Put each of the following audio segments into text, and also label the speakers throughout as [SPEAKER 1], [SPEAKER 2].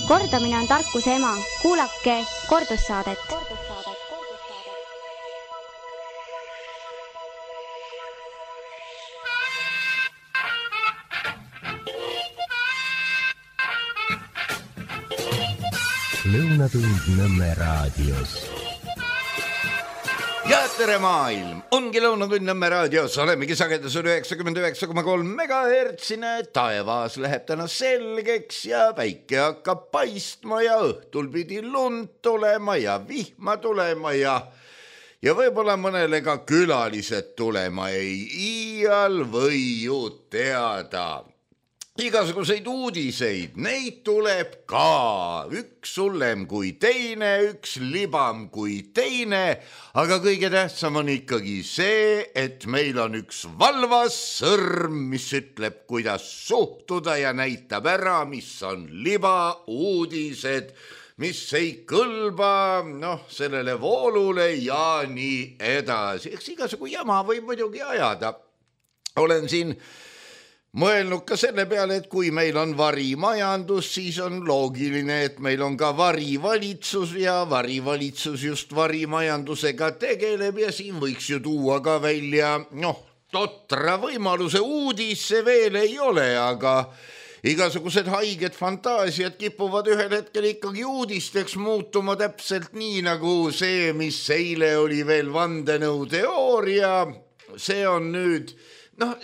[SPEAKER 1] Kordamine on tarkuse ema. Kuulake kordussaadet.
[SPEAKER 2] Lõunatund Nõmme raadios.
[SPEAKER 3] Ja tere maailm, ongi Lõunatund Nõmme raadios, olemegi sagedusel 99,3 megahertsine, taevas läheb täna selgeks ja päike hakkab paistma ja õhtul pidi lund tulema ja vihma tulema ja võib-olla mõnele ka külalised tulema ei iial või ju teada. Igasuguseid uudiseid, neid tuleb ka, üks hullem kui teine, üks libam kui teine, aga kõige tähtsam on ikkagi see, et meil on üks valvas sõrm, mis ütleb, kuidas suhtuda ja näitab ära, mis on libauudised, mis ei kõlba sellele voolule ja nii edasi. Eks igasugu jama võib muidugi ajada. Olen siin mõelnud ka selle peale, et kui meil on varimajandus, siis on loogiline, et meil on ka varivalitsus ja varivalitsus just varimajandusega tegeleb ja siin võiks ju tuua ka välja, totra võimaluse uudis see veel ei ole, aga igasugused haiged fantaasiad kipuvad ühel hetkel ikkagi uudisteks muutuma täpselt nii nagu see, mis eile oli veel vandenõuteooria, see on nüüd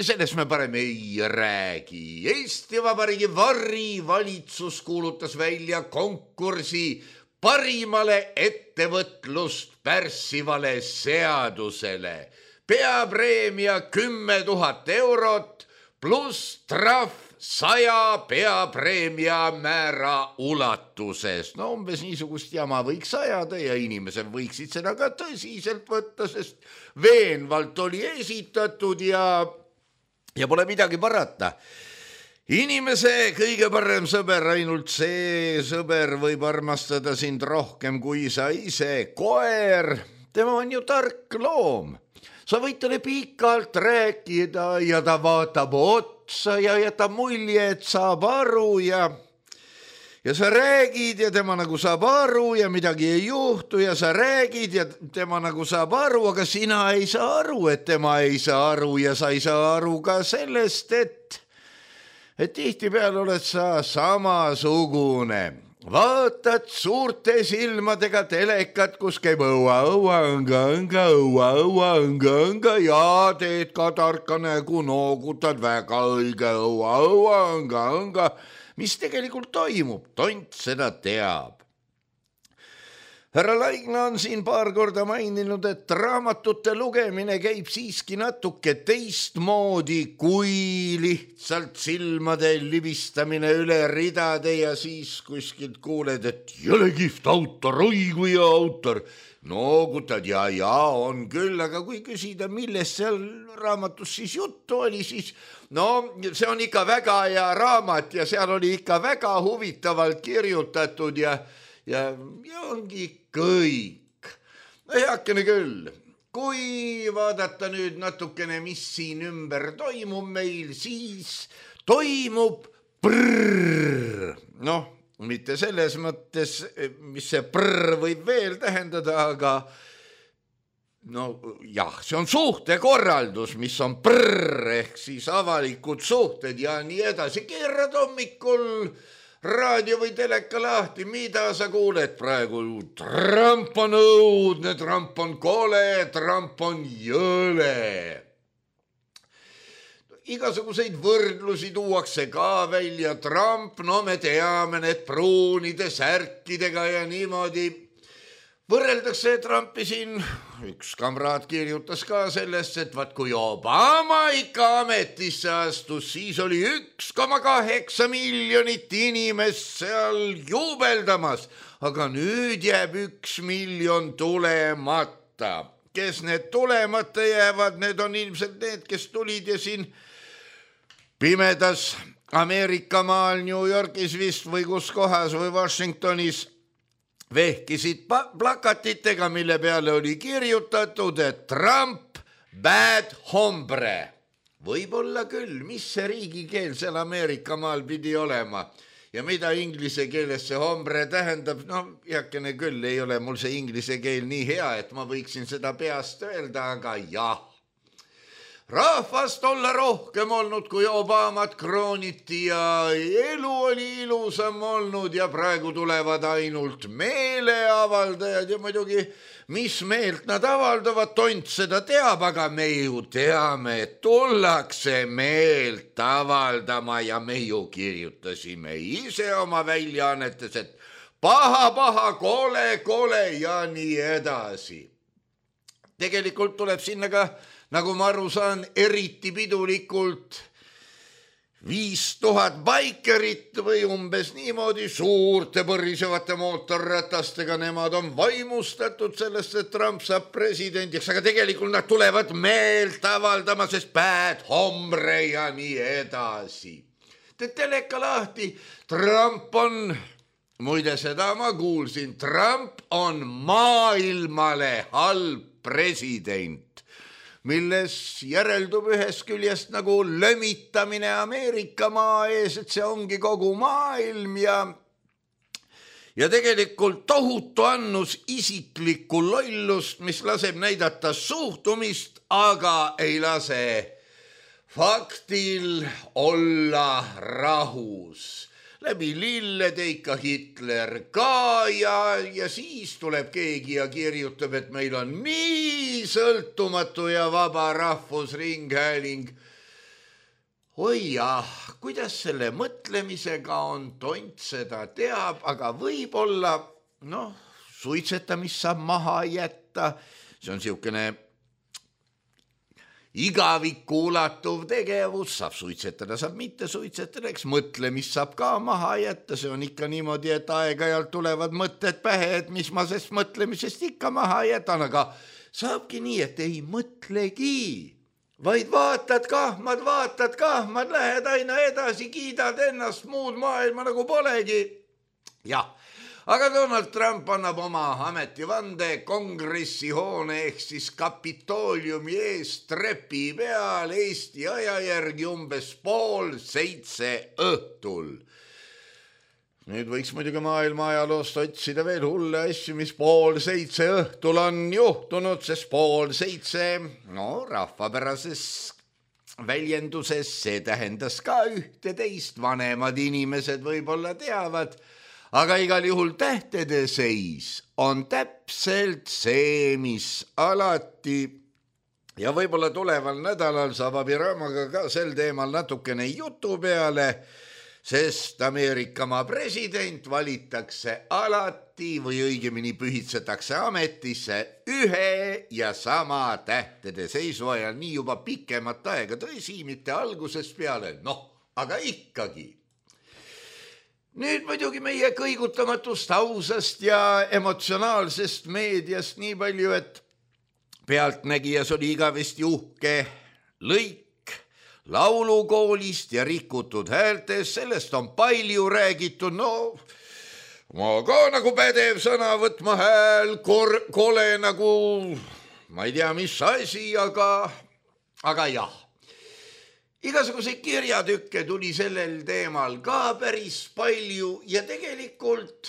[SPEAKER 3] sellest me parem ei räägi. Eesti Vabariigi varivalitsus kuulutas välja konkursi parimale ettevõtlust pärssivale seadusele. Peapreemia 10 000 eurot pluss trahv 100 peapreemia määra ulatuses. Umbes niisugust jama võiks ajada ja inimesed võiksid seda ka tõsiselt võtta, sest veenvalt oli esitatud ja pole midagi parata. Inimese kõige parem sõber, ainult see sõber võib armastada sind rohkem kui sa ise. Koer, tema on ju tark loom. Sa võid talle pikalt rääkida ja ta vaatab otsa ja jätab mulje, et saab aru ja sa räägid ja tema nagu saab aru ja midagi ei juhtu ja sa räägid ja tema nagu saab aru, aga sina ei saa aru, et tema ei saa aru ja sa ei saa aru ka sellest, et tihtipeale oled sa samasugune. Vaatad suurte silmadega telekat, kus käib õua ja teed ka tarka nägu, noogutad väga õige õua, mis tegelikult toimub, tont seda teab. Härra Laigna on siin paar korda maininud, et raamatute lugemine käib siiski natuke teistmoodi kui lihtsalt silmade libistamine üle ridade ja siis kuskilt kuuled, et jõle kihvt autor, oi kui hea autor. Noogutad ja on küll, aga kui küsida, millest seal raamatus siis juttu oli, siis see on ikka väga hea raamat ja seal oli ikka väga huvitavalt kirjutatud ja ongi kõik. Heakene küll, kui vaadata nüüd natukene, mis siin ümber toimub meil, siis toimub prrrr. Mitte selles mõttes, mis see prrr võib veel tähendada, aga see on suhtekorraldus, mis on prrr ehk siis avalikud suhted ja nii edasi. Keerad hommikul raadio või teleka lahti, mida sa kuuled praegu? Trump on õudne, Trump on kole, Trump on jõle. Igasuguseid võrdlusi tuuakse ka välja. Trump, me teame need pruunide särkidega ja niimoodi. Võrreldakse Trumpi siin, üks kamraad kirjutas ka sellest, et kui Obama ikka ametisse astus, siis oli 1,8 miljonit inimest seal juubeldamas, aga nüüd jääb 1 miljon tulemata. Kes need tulemata jäävad, need on ilmselt need, kes tulid ja siin pimedas Ameerika maal, New Yorgis vist või kus kohas või Washingtonis vehkisid plakatitega, mille peale oli kirjutatud, et Trump bad hombre. Võib-olla küll, mis see riigikeel seal Ameerika maal pidi olema. ja mida inglise keeles see hombre tähendab, no heakene küll, ei ole mul see inglise keel nii hea, et ma võiksin seda peast öelda, aga jah. Rahvast olla rohkem olnud, kui Obamat krooniti ja elu oli ilusam olnud ja praegu tulevad ainult meeleavaldajad ja muidugi, mis meelt nad avaldavad, tont seda teab, aga me ju teame, et tullakse meelt avaldama ja me ju kirjutasime ise oma väljaannetes, et paha, kole ja nii edasi. Tegelikult tuleb sinna ka, nagu ma aru saan, eriti pidulikult 5000 baikerit või umbes niimoodi suurte põrisevate mootorratastega, nemad on vaimustatud sellest, et Trump saab presidendiks, aga tegelikult nad tulevad meelt avaldama, sest bad hombre ja nii edasi. Teed teleka lahti, Trump on, muide seda ma kuulsin, Trump on maailmale halb president, milles järeldub ühest küljest nagu lömitamine Ameerika maa ees, et see ongi kogu maailm ja tegelikult tohutu annus isiklikku lollust, mis laseb näidata suhtumist, aga ei lase faktil olla rahus. Läbi lillede ikka Hitler ka ja siis tuleb keegi ja kirjutab, et meil on nii sõltumatu ja vaba rahvusringhääling. Oi jah, kuidas selle mõtlemisega on, tont seda teab, aga võib-olla, suitsetamist saab maha jätta, see on siukene igavikku ulatuv tegevus, saab suitsetada, saab mitte suitsetada, eks mõtlemist saab ka maha jätta, see on ikka niimoodi, et aeg-ajalt tulevad mõtted pähe, et mis ma sest mõtlemisest ikka maha jätan, aga saabki nii, et ei mõtlegi, vaid vaatad kahmad, lähed aina edasi, kiidad ennast, muud maailma nagu polegi. Jah. Aga Donald Trump annab oma ametivande kongressi hoone ehk siis Kapitooliumi ees trepi peal Eesti aja järgi umbes 6:30 õhtul. Nüüd võiks muidugi maailma ajaloost otsida veel hulle asju, mis 6:30 õhtul on juhtunud, sest 6:30, rahvapärases väljenduses see tähendas ka ühte teist, vanemad inimesed võib-olla teavad, aga igal juhul tähtede seis on täpselt see, mis alati ja võib-olla tuleval nädalal saab Abiramaga ka sel teemal natukene jutu peale, sest Ameerikamaa president valitakse alati või õigemini pühitsetakse ametisse ühe ja sama tähtede seisu ajal, nii juba pikemat aega, tõsi, mitte algusest peale, aga ikkagi. Nüüd muidugi meie kõigutamatust ausast ja emotsionaalsest meediast nii palju, et pealtnägijas oli igavesti uhke lõik laulukoolist ja rikutud häältes, sellest on palju räägitud, ma ka nagu pädev sõna võtma hääl, kole nagu, ma ei tea, mis asi, aga jah. Igasuguseid kirjatükke tuli sellel teemal ka päris palju ja tegelikult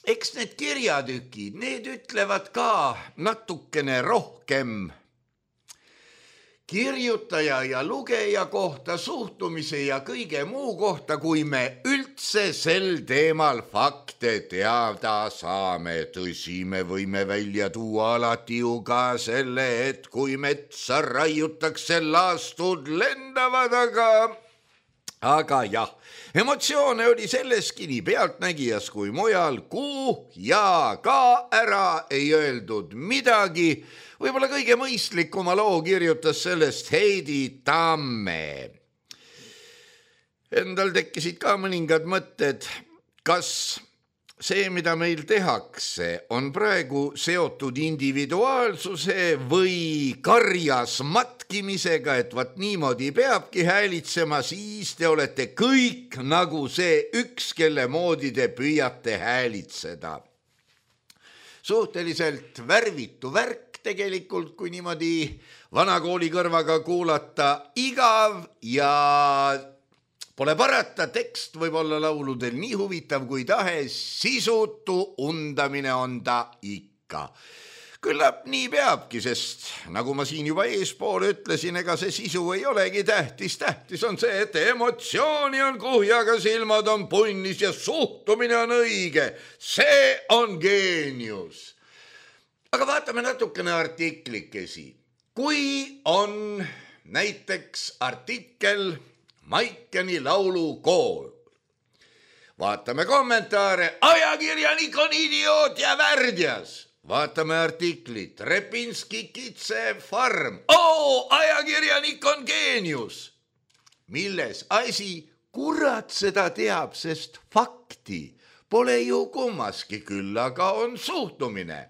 [SPEAKER 3] eks need kirjatükid, need ütlevad ka natukene rohkem kirjutaja ja lugeja kohta, suhtumise ja kõige muu kohta, kui me üldse sel teemal fakte teada saame. Tõsi, me võime välja tuua alati ju ka selle, et kui metsa raiutakse, laastud lendavad, aga jah, emotsioone oli selleski nii pealtnägijas kui mujal, ja ka ära ei öeldud midagi. Võib-olla kõige mõistlikuma loo kirjutas sellest Heidi Tamme. Endal tekkisid ka mõningad mõtted, kas see, mida meil tehakse, on praegu seotud individuaalsuse või karjas matkimisega, et vaat niimoodi peabki häälitsema, siis te olete kõik nagu see üks, kelle moodi te püüate häälitseda. Suhteliselt värvitu värk tegelikult, kui niimoodi vanakooli kõrvaga kuulata, igav ja Pole parata, tekst võib olla lauludel nii huvitav kui tahes, sisutu undamine on ta ikka. Küllap nii peabki, sest nagu ma siin juba eespool ütlesin, ega see sisu ei olegi tähtis. Tähtis on see, et emotsiooni on kuhjaga, silmad on punnis ja suhtumine on õige. See on geenius. Aga vaatame natukene artiklikesi. Kui on näiteks artikkel Maikeni laulu kool. Vaatame kommentaare. Ajakirjanik on idioot ja värdjas. Vaatame artiklit. Repinski kitse farm. Ajakirjanik on geenius. Milles asi? Kurat seda teab, sest fakti pole ju kummaski, küll aga on suhtumine.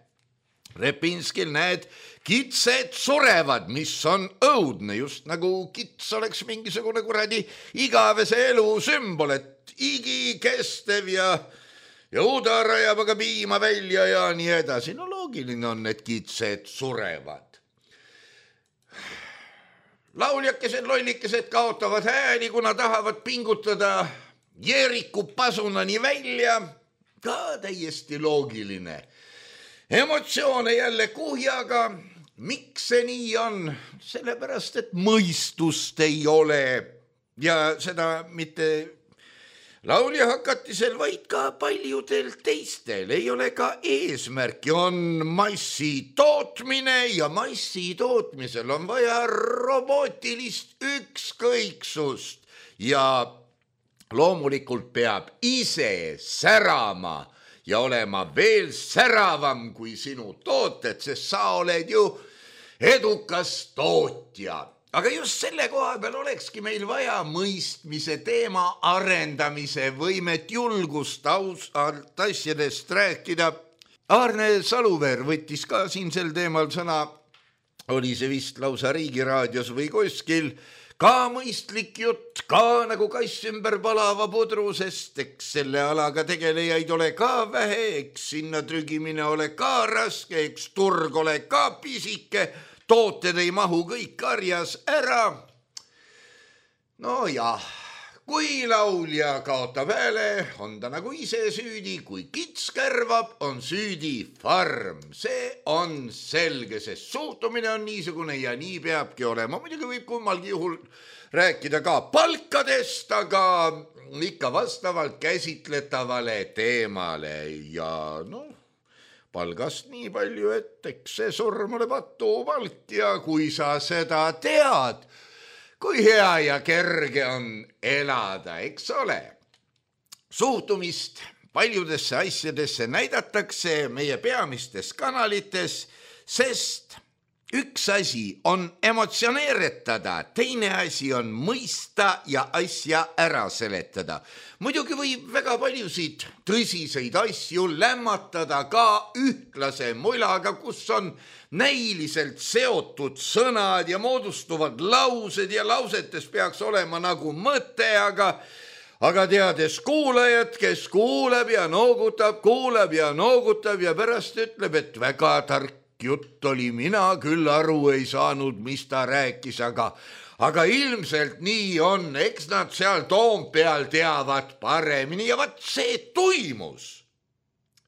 [SPEAKER 3] Repinskil näed, kitsed surevad, mis on õudne, just nagu kits oleks mingisugune kuradi igavese elu sümbol, et igikestev ja udar ajab aga piima välja ja nii edasi. No loogiline on, et kitsed surevad. Lauljakesed, lollikesed kaotavad hääli, kuna tahavad pingutada Jeeriku pasunani välja. Ka täiesti loogiline. Emotsioone jälle kuhjaga. Miks see nii on? Sellepärast, et mõistust ei ole. Ja seda mitte laulja hakatisel, vaid ka paljudel teistel. Ei ole ka eesmärki. On massi tootmine ja massi tootmisel on vaja robootilist ükskõiksust. Ja loomulikult peab ise särama ja olema veel säravam kui sinu tooted, sest sa oled ju edukas tootja. Aga just selle koha peal olekski meil vaja mõistmise teema arendamise võimet, julgust ausalt asjadest rääkida. Aarne Saluveer võttis ka siin sel teemal sõna, oli see vist lausa Riigiraadios või kuskil. Ka mõistlik jutt, ka nagu kass ümber palava pudru, sest eks selle alaga tegelejaid ole ka vähe, eks sinna trügimine ole ka raske, eks turg ole ka pisike, tooted ei mahu kõik karjas ära. No jah, kui laulja kaotab hääle, on ta nagu ise süüdi, kui kits kärvab, on süüdi farm. See on selge, sest suhtumine on niisugune ja nii peabki olema. Muidugi võib kummalgi juhul rääkida ka palkadest, aga ikka vastavalt käsitletavale teemale ja palgast nii palju, et eks see surm ole patupalk ja kui sa seda tead, kui hea ja kerge on elada, eks ole. Suhtumist paljudesse asjadesse näidatakse meie peamistes kanalites, sest üks asi on emotsioneeretada, teine asi on mõista ja asja ära seletada. Muidugi võib väga paljusid tõsiseid asju lämmatada ka ühtlase mulaga, kus on näiliselt seotud sõnad ja moodustuvad laused ja lausetes peaks olema nagu mõte, aga teades kuulajat, kes kuulab ja noogutab ja pärast ütleb, et väga tark jutt oli, mina küll aru ei saanud, mis ta rääkis, aga ilmselt nii on, eks nad seal Toompeal teavad paremini ja vaat see tuimus.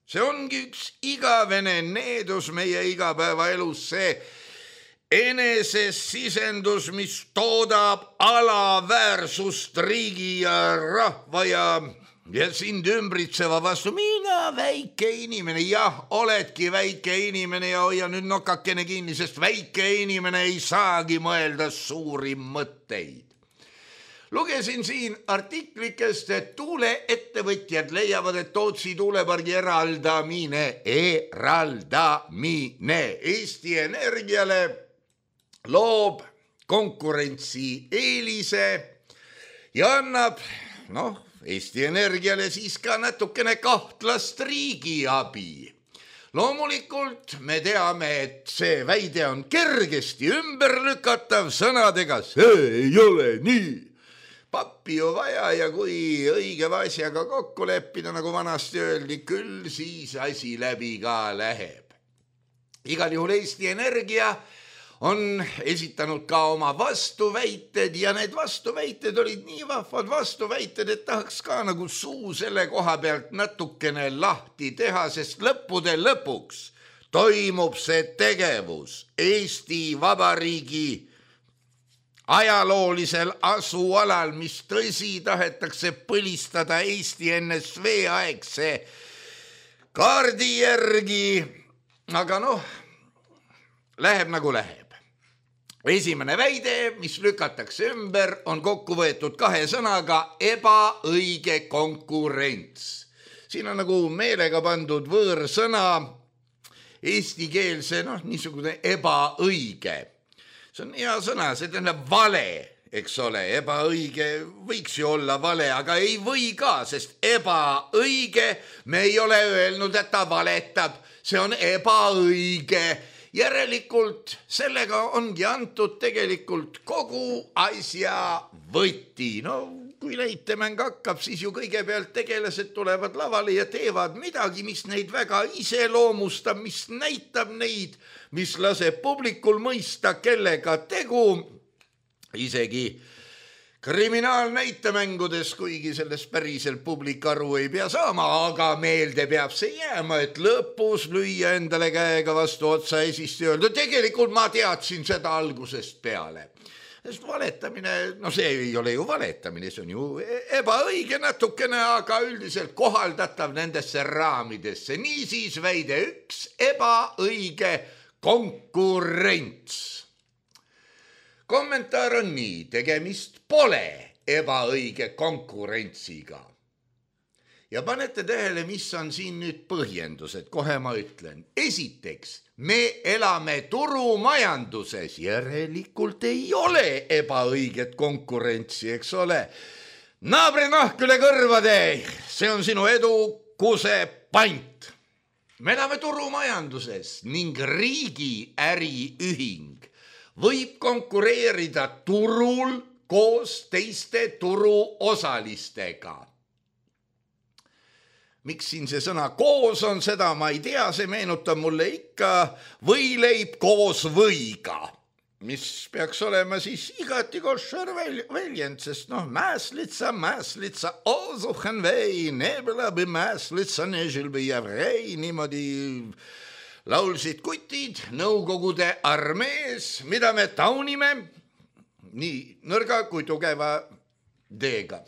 [SPEAKER 3] See ongi üks igavene needus meie igapäevaelus, see enesesisendus, mis toodab alaväärsust riigi ja rahva ja sind ümbritseva vastu. Mina väike inimene, jah, oledki väike inimene ja hoia nüüd nokakene kinni, sest väike inimene ei saagi mõelda suuri mõtteid. Lugesin siin artiklikest, et tuuleettevõtjad leiavad, et Tootsi tuulepargi eraldamine Eesti Energiale loob konkurentsi eelise ja annab, Eesti Energiale siis ka natukene kahtlast riigiabi. Loomulikult me teame, et see väide on kergesti ümberlükatav sõnadega, see ei ole nii. Pappi ju vaja ja kui õige asjaga kokku leppida, nagu vanasti öeldi, küll siis asi läbi ka läheb. Igal juhul Eesti Energia on esitanud ka oma vastuväited ja need vastuväited olid nii vahvad vastuväited, et tahaks ka nagu suu selle koha pealt natukene lahti teha, sest lõppude lõpuks toimub see tegevus Eesti Vabariigi ajaloolisel asualal, mis tõsi tahetakse põlistada Eesti NSV aegse kaardi järgi, aga läheb nagu läheb. Esimene väide, mis lükatakse ümber, on kokku võetud 2 sõnaga ebaõige konkurents. Siin on nagu meelega pandud võõrsõna eestikeelse, niisugune ebaõige. See on hea sõna, see tähendab vale, eks ole, ebaõige võiks ju olla vale, aga ei või ka, sest ebaõige, me ei ole öelnud, et ta valetab, see on ebaõige. Järelikult sellega ongi antud tegelikult kogu asja võti. Kui näitemäng hakkab, siis ju kõigepealt tegelased tulevad lavale ja teevad midagi, mis neid väga iseloomustab, mis näitab neid, mis laseb publikul mõista, kellega tegu. Isegi kriminaalnäitemängudes, kuigi sellest päriselt publik aru ei pea saama, aga meelde peab see jääma, et lõpus lüüa endale käega vastu otsa esist ja öelda, tegelikult ma teadsin seda algusest peale. Sest valetamine, see ei ole ju valetamine, see on ju ebaõige natukene, aga üldiselt kohaldatav nendesse raamidesse. Niisiis väide 1, ebaõige konkurents. Kommentaar on nii, tegemist pole ebaõige konkurentsiga. Ja panete tähele, mis on siin nüüd põhjendused, kohe ma ütlen. Esiteks, me elame turumajanduses, järelikult ei ole ebaõiget konkurentsi, eks ole. Naabri nahk üle kõrvade, see on sinu edukuse pant. Me elame turumajanduses ning riigi äriühing võib konkureerida turul koos teiste turuosalistega. Miks siin see sõna koos on, seda ma ei tea, see meenutab mulle ikka võileib koos võiga, mis peaks olema siis igati koššar väljend, sest mäslitsa, osuchen vei, nebelabi mäslitsa, nežilbi jävrei, niimoodi laulsid kutid Nõukogude armees, mida me taunime nii nõrga kui tugeva D-ga.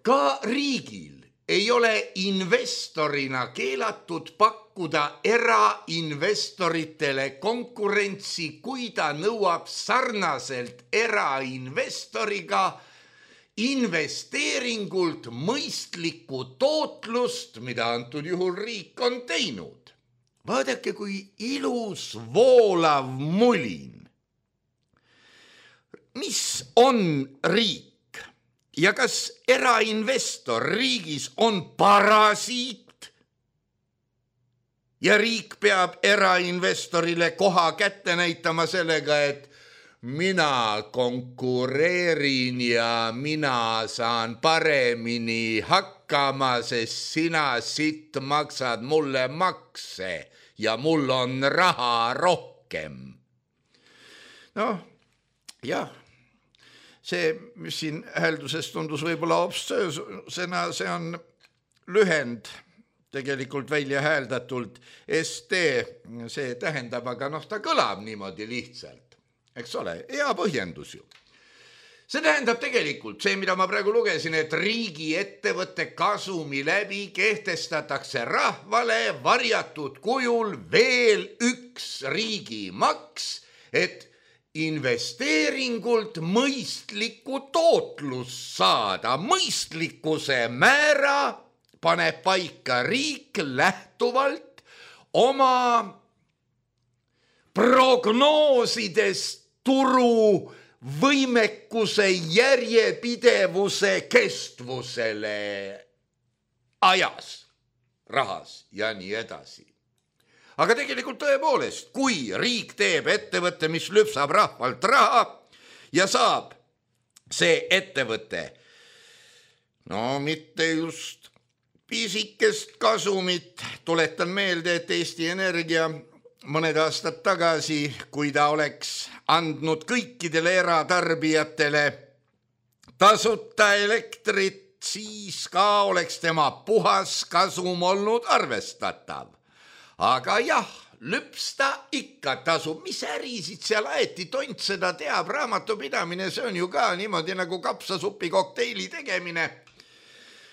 [SPEAKER 3] Ka riigil ei ole investorina keelatud pakkuda erainvestoritele konkurentsi, kui ta nõuab sarnaselt erainvestoriga investeeringult mõistlikku tootlust, mida antud juhul riik on teinud. Vaadake, kui ilus voolav mulin. Mis on riik ja kas erainvestor riigis on parasiit ja riik peab erainvestorile koha kätte näitama sellega, et mina konkureerin ja mina saan paremini hakkama, sest sina sitt maksad mulle makse ja mul on raha rohkem. Jah, see, mis siin häälduses tundus võib-olla obstsöösena, see on lühend tegelikult välja hääldatult ST, see tähendab, aga ta kõlab niimoodi lihtsalt, eks ole, hea põhjendus ju. See tähendab tegelikult see, mida ma praegu lugesin, et riigi ettevõtte kasumi läbi kehtestatakse rahvale varjatud kujul veel üks riigimaks, et investeeringult mõistlikku tootlust saada. Mõistlikkuse määra paneb paika riik lähtuvalt oma prognoosidest turu võimekuse, järjepidevuse, kestvusele ajas, rahas ja nii edasi. Aga tegelikult tõepoolest, kui riik teeb ettevõtte, mis lüpsab rahvalt raha ja saab see ettevõte, mitte just pisikest kasumit, tuletan meelde, et Eesti Energia mõned aastad tagasi, kui ta oleks andnud kõikidele eratarbijatele tasuta elektrit, siis ka oleks tema puhas kasum olnud arvestatav. Aga jah, lüpsta ikka tasub. Mis ärisid seal aeti, tont seda teab, raamatupidamine, see on ju ka niimoodi nagu kapsasupi kokteili tegemine.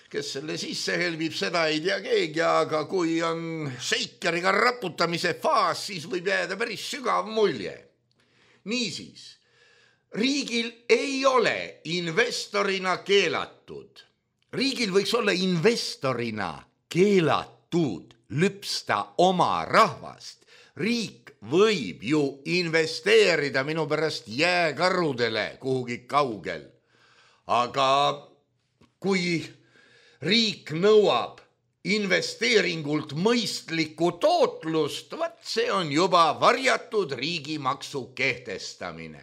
[SPEAKER 3] Kes selle sisse helbib, seda ei tea keegi, aga kui on seikeriga raputamise faas, siis võib jääda päris sügav mulje. Niisiis, riigil ei ole investorina keelatud. Riigil võiks olla investorina keelatud lüpsta oma rahvast. Riik võib ju investeerida minu pärast jääkarudele kuhugi kaugel. Aga kui riik nõuab investeeringult mõistlikku tootlust, see on juba varjatud riigimaksu kehtestamine.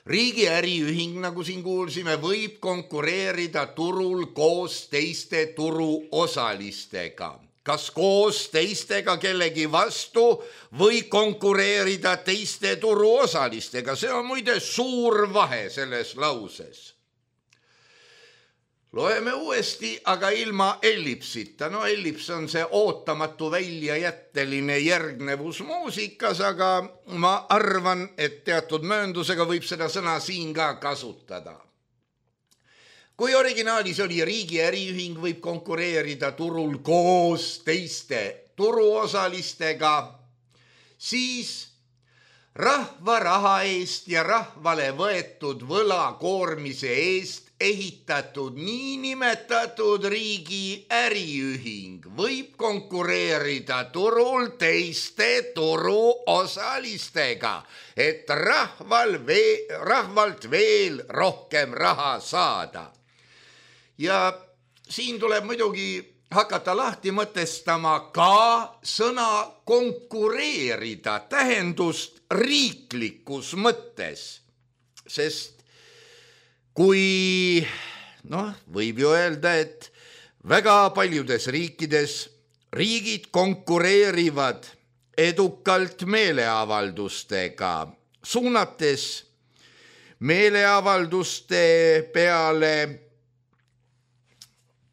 [SPEAKER 3] Riigi äriühing, nagu siin kuulsime, võib konkureerida turul koos teiste turuosalistega. Kas koos teistega kellegi vastu või konkureerida teiste turuosalistega? See on muide suur vahe selles lauses. Loeme uuesti, aga ilma ellipsita. No ellips on see ootamatu väljajätteline järgnevus muusikas, aga ma arvan, et teatud mööndusega võib seda sõna siin ka kasutada. Kui originaalis oli riigi äriühing võib konkureerida turul koos teiste turuosalistega, siis rahva raha eest ja rahvale võetud võlakoormise eest ehitatud niinimetatud riigi äriühing võib konkureerida turul teiste turuosalistega, et rahvalt veel rohkem raha saada. Ja siin tuleb muidugi hakata lahti mõtestama ka sõna konkureerida tähendust riiklikus mõttes, sest kui, võib ju öelda, et väga paljudes riikides riigid konkureerivad edukalt meeleavaldustega, suunates meeleavalduste peale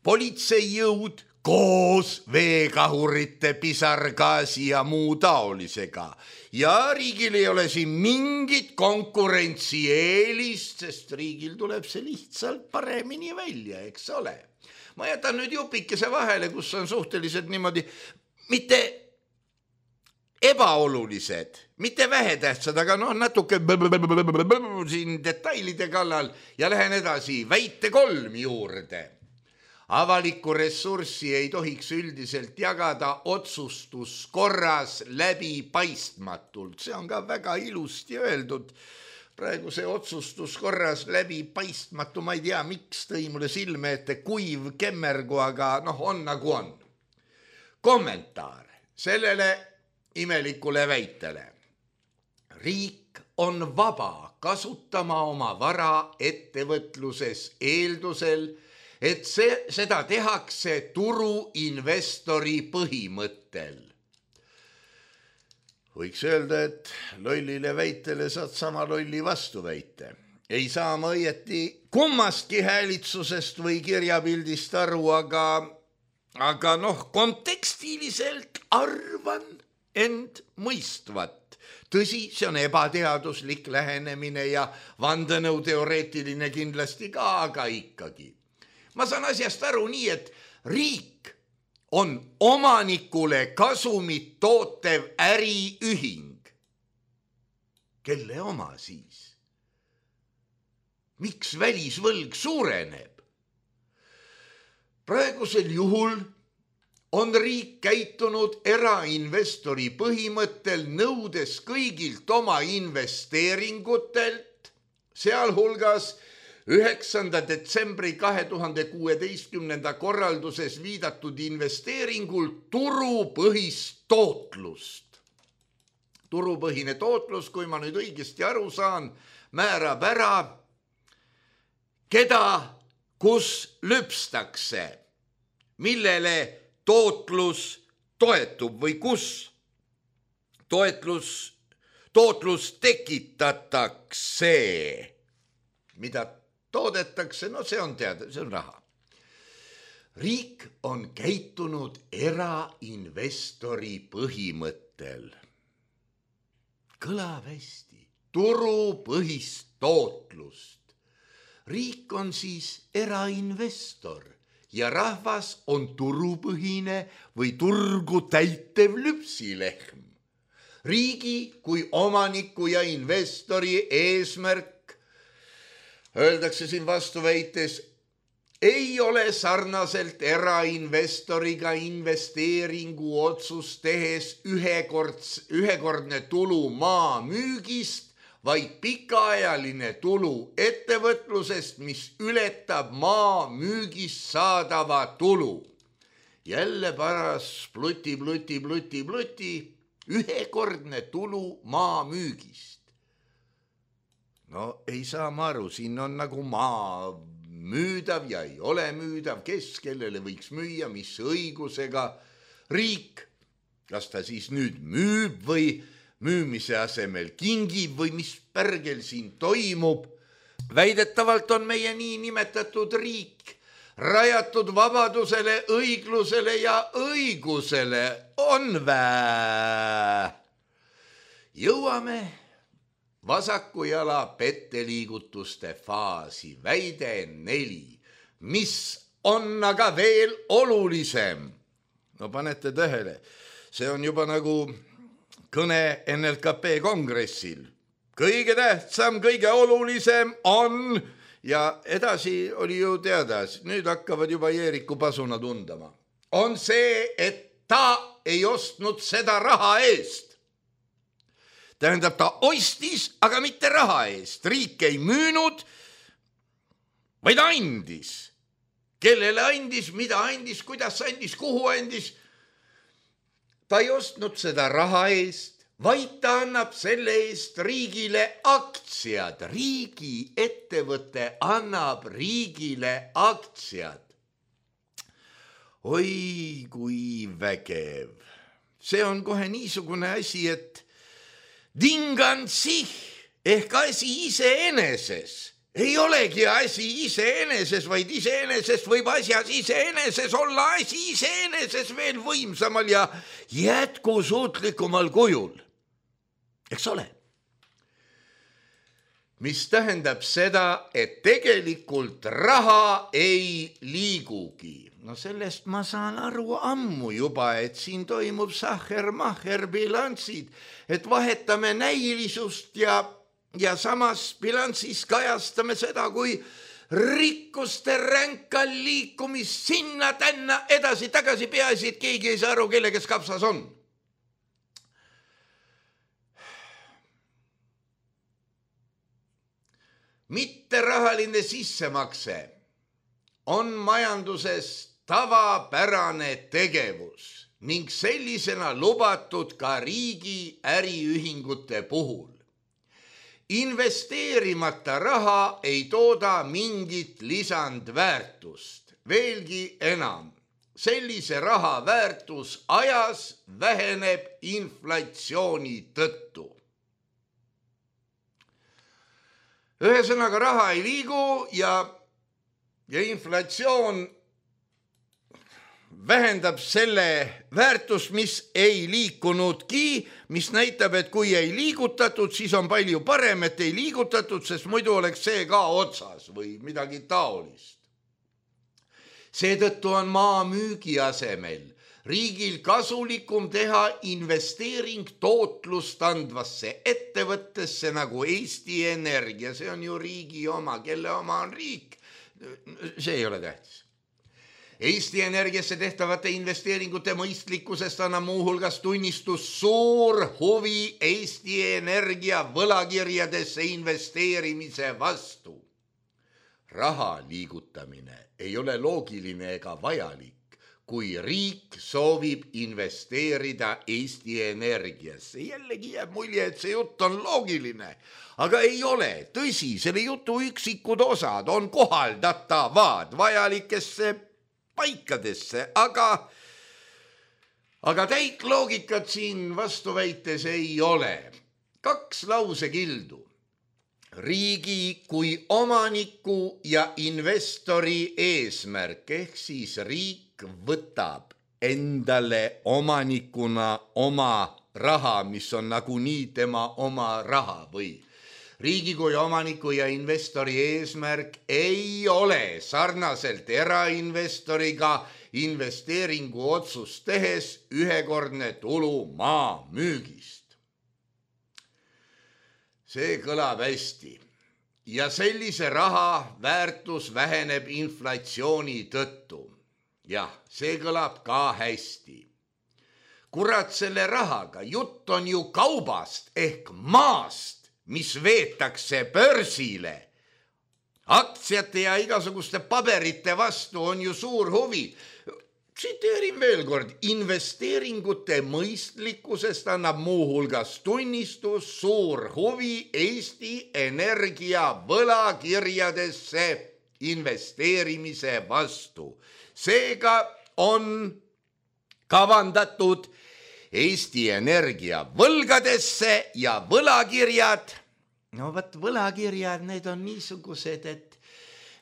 [SPEAKER 3] politseijõud koos veekahurite, pisargaasi ja muu taolisega. Ja riigil ei ole siin mingit konkurentsieelist, sest riigil tuleb see lihtsalt paremini välja, eks ole. Ma jätan nüüd jupikese vahele, kus on suhteliselt niimoodi, mitte ebaolulised, mitte vähetähtsad, aga natuke siin detailide kallal ja lähen edasi väite 3 juurde. Avalikku ressurssi ei tohiks üldiselt jagada otsustuskorras läbipaistmatult. See on ka väga ilusti öeldud. Praegu see otsustuskorras läbipaistmatu, ma ei tea, miks tõi mulle silme ette kuiv kemmergu, aga on nagu on. Kommentaar sellele imelikule väitele. Riik on vaba kasutama oma vara ettevõtluses eeldusel, et seda tehakse turuinvestori põhimõttel. Võiks öelda, et lollile väitele saad sama lolli vastuväite. Ei saa ma õieti kummastki häälitsusest või kirjapildist aru, aga kontekstiliselt arvan end mõistvat. Tõsi, see on ebateaduslik lähenemine ja vandenõuteoreetiline kindlasti ka, aga ikkagi. Ma saan asjast aru nii, et riik on omanikule kasumit tootev äriühing. Kelle oma siis? Miks välisvõlg suureneb? Praegusel juhul on riik käitunud erainvestori põhimõttel, nõudes kõigilt oma investeeringutelt, sealhulgas 9. detsembri 2016. korralduses viidatud investeeringul turupõhist tootlust. Turupõhine tootlus, kui ma nüüd õigesti aru saan, määrab ära, keda kus lüpstakse, millele tootlus toetub või kus. tootlus tekitatakse, mida toodetakse, no see on teada, see on raha. Riik on käitunud erainvestori põhimõttel. Kõlab hästi, turupõhist tootlust. Riik on siis erainvestor ja rahvas on turupõhine või turgu täitev lüpsilehm. Riigi kui omaniku ja investori eesmärk, öeldakse siin vastuväites, ei ole sarnaselt erainvestoriga investeeringu otsus tehes ühekordne tulu maa müügist, vaid pikaajaline tulu ettevõtlusest, mis ületab maa müügist saadava tulu. Jälle paras pluti, ühekordne tulu maa müügist. No ei saa ma aru, siin on nagu maa müüdav ja ei ole müüdav, kes kellele võiks müüa, mis õigusega. Riik, kas ta siis nüüd müüb või müümise asemel kingib või mis pärgel siin toimub. Väidetavalt on meie niinimetatud riik rajatud vabadusele, õiglusele ja õigusele. On vää. Jõuame vasaku jala petteliigutuste faasi, väide 4, mis on aga veel olulisem. No panete tähele, see on juba nagu kõne NLKP kongressil. Kõige tähtsam, kõige olulisem on, ja edasi oli ju teada, nüüd hakkavad juba Jeeriku pasuna tundama, on see, et ta ei ostnud seda raha eest. Tähendab, ta ostis, aga mitte raha eest. Riik ei müünud, vaid andis. Kellele andis, mida andis, kuidas andis, kuhu andis. Ta ei ostnud seda raha eest, vaid ta annab selle eest riigile aktsiad. Riigi ettevõte annab riigile aktsiad. Oi, kui vägev. See on kohe niisugune asi, et dingan sich ehk asi iseeneses. Ei olegi asi iseeneses, vaid iseeneses võib asjas iseeneses olla asi iseeneses veel võimsamal ja jätkusuutlikumal kujul. Eks ole? Mis tähendab seda, et tegelikult raha ei liigugi. No sellest ma saan aru ammu juba, et siin toimub sahher-mahher bilansid, et vahetame näilisust ja samas bilansis kajastame seda, kui rikkuste ränka liikumist sinna tänna edasi-tagasi, peaasi, et keegi ei saa aru, kelle kes kapsas on. Mitterahaline sissemakse on majanduses tavapärane tegevus ning sellisena lubatud ka riigi äriühingute puhul. Investeerimata raha ei tooda mingit lisandväärtust. Veelgi enam, sellise raha väärtus ajas väheneb inflatsiooni tõttu. Ühesõnaga raha ei liigu ja inflatsioon vähendab selle väärtust, mis ei liikunudki, mis näitab, et kui ei liigutatud, siis on palju parem, et ei liigutatud, sest muidu oleks see ka otsas või midagi taolist. Seetõttu on maa müügi asemel riigil kasulikum teha investeering tootlust andvasse ettevõttesse nagu Eesti Energia. See on ju riigi oma, kelle oma on riik. See ei ole tähtis. Eesti Energiasse tehtavate investeeringute mõistlikkusest annab muuhulgas tunnistus suur huvi Eesti Energia võlakirjadesse investeerimise vastu. Raha liigutamine ei ole loogiline ega vajalik, kui riik soovib investeerida Eesti Energiasse. Jällegi jääb mulje, et see jutt on loogiline, aga ei ole. Tõsi, selle jutu üksikud osad on kohaldatavad vajalikesse paikadesse, aga aga täit loogikat siin vastuväites ei ole. 2 lausekildu. Riigi kui omaniku ja investori eesmärk ehk siis riik võtab endale omanikuna oma raha, mis on nagunii tema oma raha või riigi kui omaniku ja investori eesmärk ei ole sarnaselt erainvestoriga investeeringu otsust tehes ühekordne tulu maa müügist. See kõlab hästi ja sellise raha väärtus väheneb inflatsiooni tõttu. Jah, see kõlab ka hästi. Kurat selle rahaga, jutt on ju kaubast ehk maast, mis veetakse börsile. Aktsiate ja igasuguste paberite vastu on ju suur huvi. Tsiteerin veel kord, investeeringute mõistlikkusest annab muuhulgas tunnistus suur huvi Eesti Energia võlakirjadesse investeerimise vastu. Seega on kavandatud Eesti Energia võlgadesse ja võlakirjad. No võt võlakirjad, need on niisugused,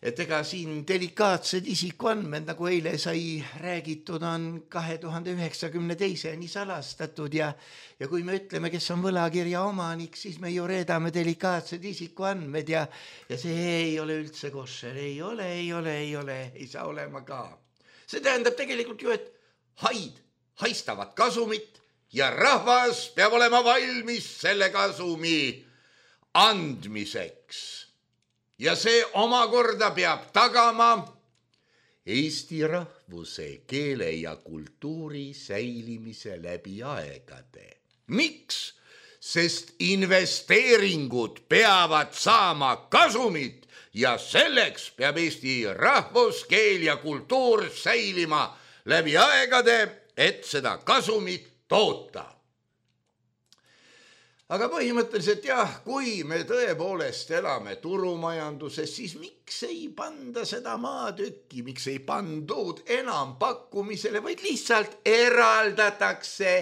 [SPEAKER 3] et ega siin delikaatsed isikuandmed, nagu eile sai räägitud, on 2092 nii salastatud ja kui me ütleme, kes on võlakirja omanik, siis me ju reedame delikaatsed isikuandmed ja see ei ole üldse košer, ei ole, ei saa olema ka. See tähendab tegelikult ju, et haid haistavad kasumit ja rahvas peab olema valmis selle kasumi andmiseks. Ja see omakorda peab tagama Eesti rahvuse, keele ja kultuuri säilimise läbi aegade. Miks? Sest investeeringud peavad saama kasumit ja selleks peab Eesti rahvus, keel ja kultuur säilima läbi aegade, et seda kasumit toota. Aga põhimõtteliselt jah, kui me tõepoolest elame turumajanduses, siis miks ei panda seda maatükki, miks ei pandud enam pakkumisele, vaid lihtsalt eraldatakse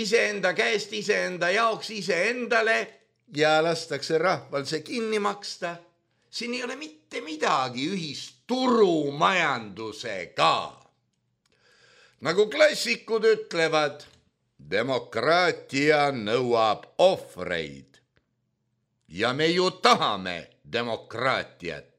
[SPEAKER 3] iseenda käest, iseenda jaoks, iseendale ja lastakse rahval see kinni maksta. Siin ei ole mitte midagi ühist turumajandusega. Nagu klassikud ütlevad, demokraatia nõuab ohvreid ja me ju tahame demokraatiat.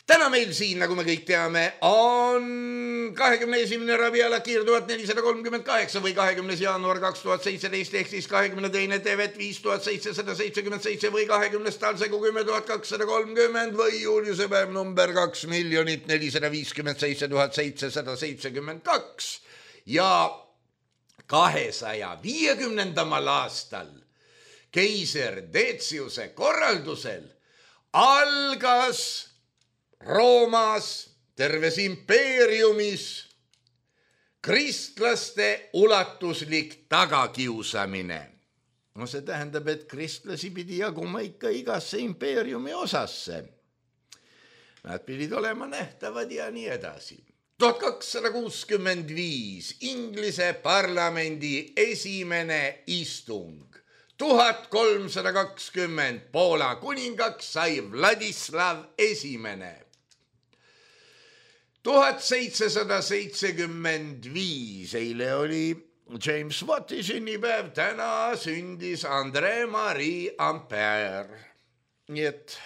[SPEAKER 3] Täna meil siin, nagu me kõik teame, on 21. Rabiala Kiir 1438 või 20. jaanuar 2017 ehk siis 22. Tevet 5777 või 20. talsegu 10.230 või Juliuse päev number 2 457 772 ja 250. aastal keiser Deciuse korraldusel algas Roomas, terves impeeriumis kristlaste ulatuslik tagakiusamine. No see tähendab, et kristlasi pidi jaguma ikka igasse impeeriumi osasse. Nad pidid olema nähtavad ja nii edasi. 1265 Inglise parlamendi esimene istung. 1320 Poola kuningaks sai Vladislav esimene. 1775 eile oli James Watti sünnipäev, täna sündis André-Marie Ampère. Nii et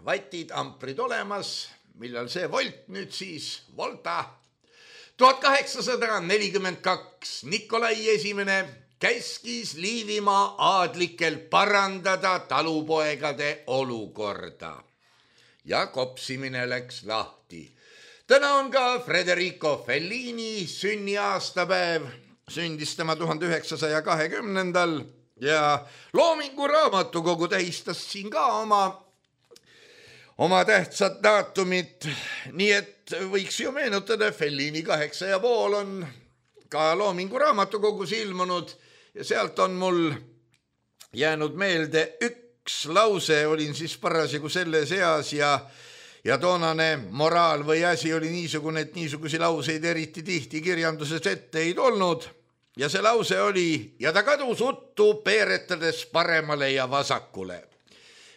[SPEAKER 3] vatid, amprid olemas, millal see volt nüüd siis, volta. 1842 Nikolai esimene käskis Liivimaa aadlikel parandada talupoegade olukorda ja kopsimine läks lahti. Täna on ka Federico Fellini sünniaastapäev, sündis tema 1920. ja Loomingu Raamatukogu tähistas siin ka oma tähtsat daatumit, nii et võiks ju meenutada, Fellini 8,5 on ka Loomingu Raamatukogus ilmunud ja sealt on mul jäänud meelde üks lause, olin siis parasjagu selles eas ja ja toonane moraal või asi oli niisugune, et niisugusi lauseid eriti tihti kirjanduses ette ei tulnud ja see lause oli ja ta kadus uttu peeretades paremale ja vasakule.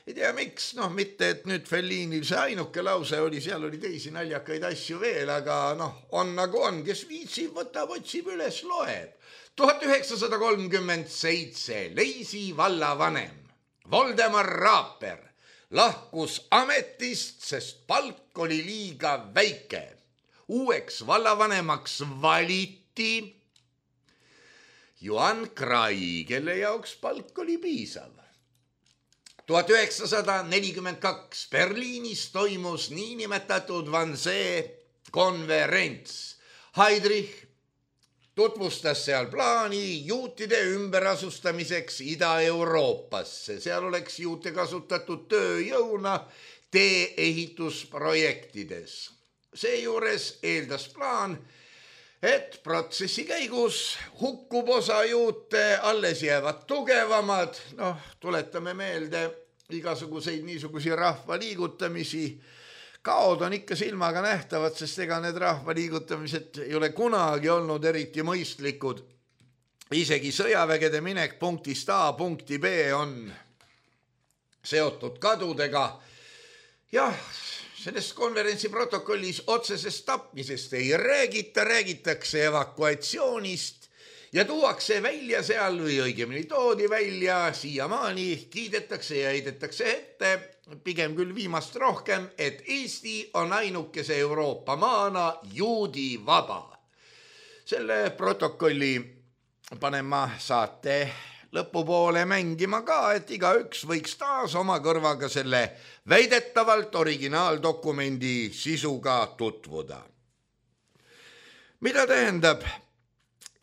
[SPEAKER 3] Ei tea miks, mitte et nüüd Fellinil see ainuke lause oli, seal oli teisi naljakaid asju veel, aga on nagu on, kes viitsib, võtab, otsib üles, loeb. 1937 Leisi vallavanem Voldemar Raaper lahkus ametist, sest palk oli liiga väike. Uueks vallavanemaks valiti Johan Krai, kelle jaoks palk oli piisav. 1942 Berliinis toimus niinimetatud Wannsee konverents. Heydrich tutvustas seal plaani juutide ümberasustamiseks Ida-Euroopasse. Seal oleks juute kasutatud tööjõuna tee-ehitusprojektides. Seejuures eeldas plaan, et protsessi käigus hukkub osa juute, alles jäävad tugevamad. Tuletame meelde igasuguseid niisugusi rahvaliigutamisi. Kaod on ikka silmaga nähtavad, sest ega need rahvaliigutamised ei ole kunagi olnud eriti mõistlikud. Isegi sõjavägede minek punktist A punkti B on seotud kadudega. Jah, sellest konverentsi protokollis otsesest tapmisest ei räägita, räägitakse evakuatsioonist ja tuuakse välja seal või õigemini toodi välja, siiamaani kiidetakse ja heidetakse ette, pigem küll viimast rohkem, et Eesti on ainukese Euroopa maana juudi vaba. Selle protokolli panen ma saate lõpupoole mängima ka, et igaüks võiks taas oma kõrvaga selle väidetavalt originaaldokumendi sisuga tutvuda. Mida tähendab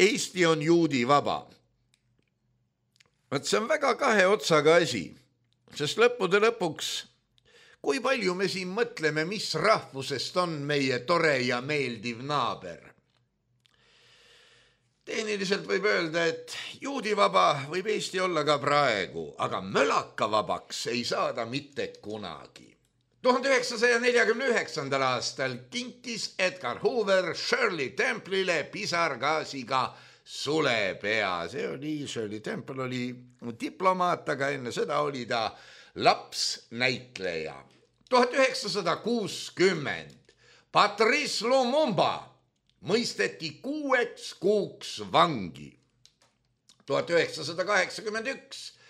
[SPEAKER 3] Eesti on juudi vaba? See on väga kahe otsaga asi, sest lõppude lõpuks, kui palju me siin mõtleme, mis rahvusest on meie tore ja meeldiv naaber. Tehniliselt võib öelda, et juudivaba võib Eesti olla ka praegu, aga mölakavabaks ei saada mitte kunagi. 1949. aastal kinkis Edgar Hoover Shirley Temple'ile pisargaasiga sulepea. Shirley Temple oli diplomaat, aga enne seda oli ta lapsnäitleja. 1960 Patrice Lumumba mõisteti 6 kuuks vangi. 1981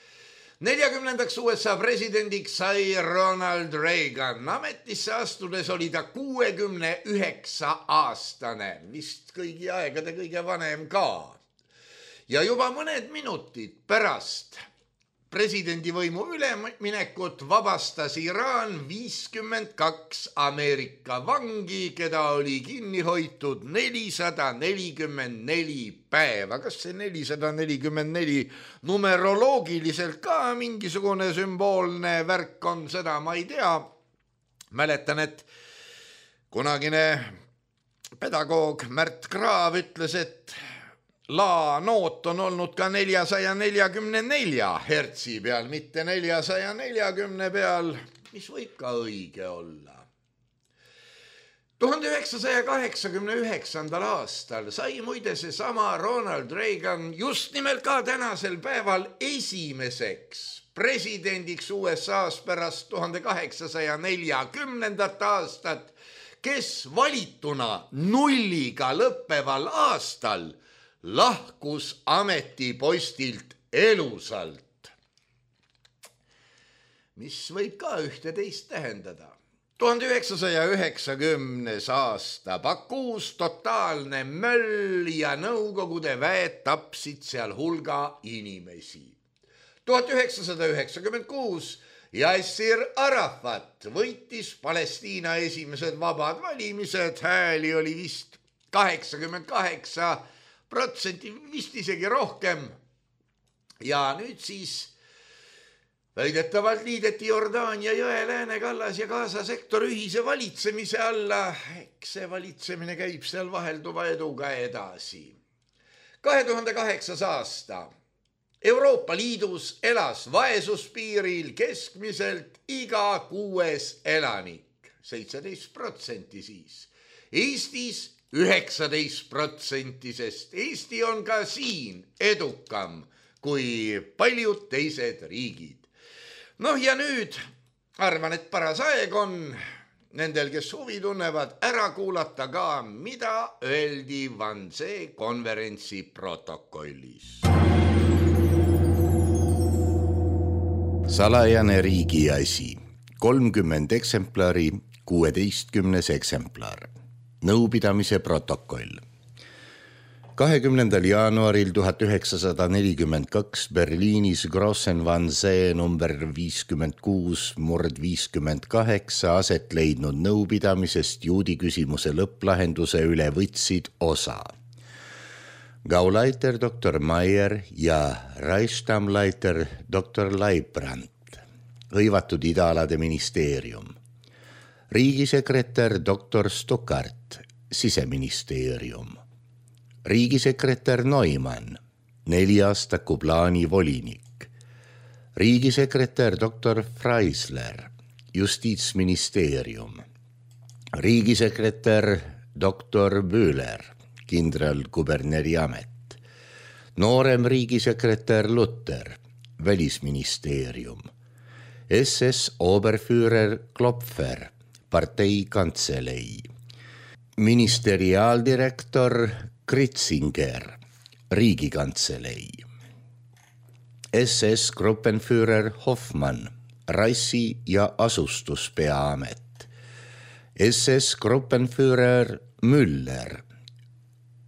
[SPEAKER 3] 40. USA presidendiks sai Ronald Reagan. Ametisse astudes oli ta 69-aastane, vist kõigi aegade kõige vanem ka. Ja juba mõned minutid pärast presidendivõimu üleminekut vabastas Iraan 52 Ameerika vangi, keda oli kinni hoitud 444 päeva. Kas see 444 numeroloogiliselt ka mingisugune sümboolne värk on, seda ma ei tea. Mäletan, et kunagine pedagoog Märt Kraav ütles, et la noot on olnud ka 444 hertsi peal, mitte 440 peal, mis võib ka õige olla. 1989. aastal sai muide seesama Ronald Reagan just nimelt ka tänasel päeval esimeseks presidendiks USA-s pärast 1840. aastat, kes valituna nulliga lõppeval aastal lahkus ametipostilt elusalt. Mis võib ka ühte-teist tähendada. 1990. aasta Bakuus totaalne möll ja Nõukogude väed tapsid seal hulga inimesi. 1996 Yasser Arafat võitis Palestiina esimesed vabad valimised, hääli oli vist 88%, vist isegi rohkem. Ja nüüd siis väidetavalt liideti Jordaania jõe läänekallas ja Gaza sektor ühise valitsemise alla. Eks see valitsemine käib seal vahelduva eduga edasi. 2008. aasta Euroopa Liidus elas vaesuspiiril keskmiselt iga 6. elanik. 17% siis. Eestis 19%, sest Eesti on ka siin edukam kui paljud teised riigid. Noh ja nüüd arvan, et paras aeg on nendel, kes huvi tunnevad, ära kuulata ka, mida öeldi Wannsee konverentsi protokollis. Salajane riigi asi. 30 eksemplari, 16. eksemplar. Nõupidamise protokoll. 20. jaanuaril 1942 Berliinis Grossen-Wannsee number 56/58 aset leidnud nõupidamisest juudi küsimuse lõpplahenduse üle võtsid osa Gauleiter Dr. Meier ja Reichsstammleiter Dr. Leibrand, hõivatud idaalade ministeerium, riigisekretär Dr. Stuckart, siseministeerium, riigisekretär Neumann, 4-aastaku plaani volinik, riigisekretär Dr. Freisler, justiitsministeerium, riigisekretär Dr. Bühler, kindralkuberneri amet, noorem riigisekretär Luther, välisministeerium, SS Oberführer Klopfer, partei kantselei, ministeriaaldirektor Kritzinger, riigikantselei, SS Gruppenführer Hoffmann, rassi- ja asustuspeaamet, SS Gruppenführer Müller,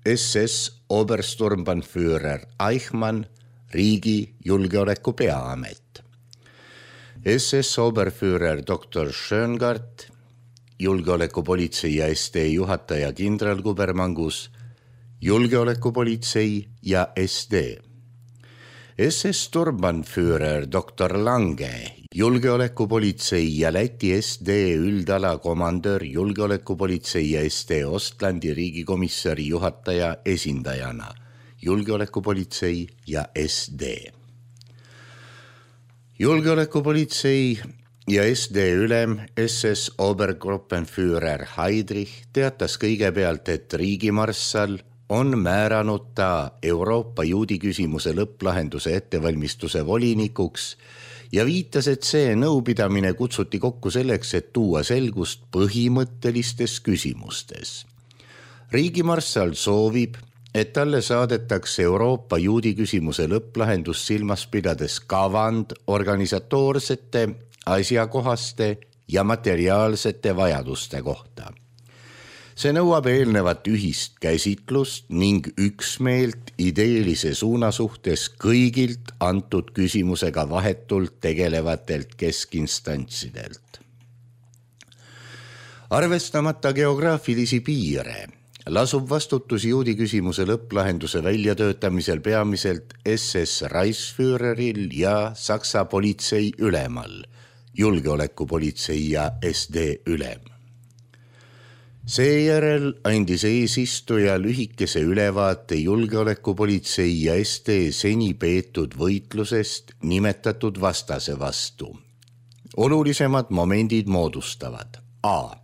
[SPEAKER 3] SS Obersturmbannführer Eichmann, riigi julgeoleku peaamet, SS Oberführer Dr. Schöngart, julgeolekupolitsei ja SD juhataja kindralkubermangus, julgeolekupolitsei ja SD, SS Sturmbannführer Dr. Lange, julgeolekupolitsei ja Läti SD üldala komandör, julgeolekupolitsei ja SD Ostlandi riigikomissari juhataja esindajana, julgeolekupolitsei ja SD. Julgeolekupolitsei ja SD ülem SS Obergruppenführer Heydrich teatas kõigepealt, et riigimarssal on määranud ta Euroopa juudi küsimuse lõpplahenduse ettevalmistuse volinikuks ja viitas, et see nõupidamine kutsuti kokku selleks, et tuua selgust põhimõttelistes küsimustes. Riigimarssal soovib, et talle saadetakse Euroopa juudi küsimuse lõpplahendus silmas pidades kavand organisatoorsete, asjakohaste ja materiaalsete vajaduste kohta. See nõuab eelnevat ühist käsitlust ning üksmeelt ideelise suuna suhtes kõigilt antud küsimusega vahetult tegelevatelt keskintstantsidelt. Arvestamata geograafilisi piire lasub vastutus juudi küsimuse lõpplahenduse väljatöötamisel peamiselt SS Reichsführeril ja Saksa politsei ülemal, julgeolekupolitsei ja SD ülem. Seejärel andis eesistuja lühikese ülevaate julgeolekupolitsei ja SD seni peetud võitlusest nimetatud vastase vastu. Olulisemad momendid moodustavad A.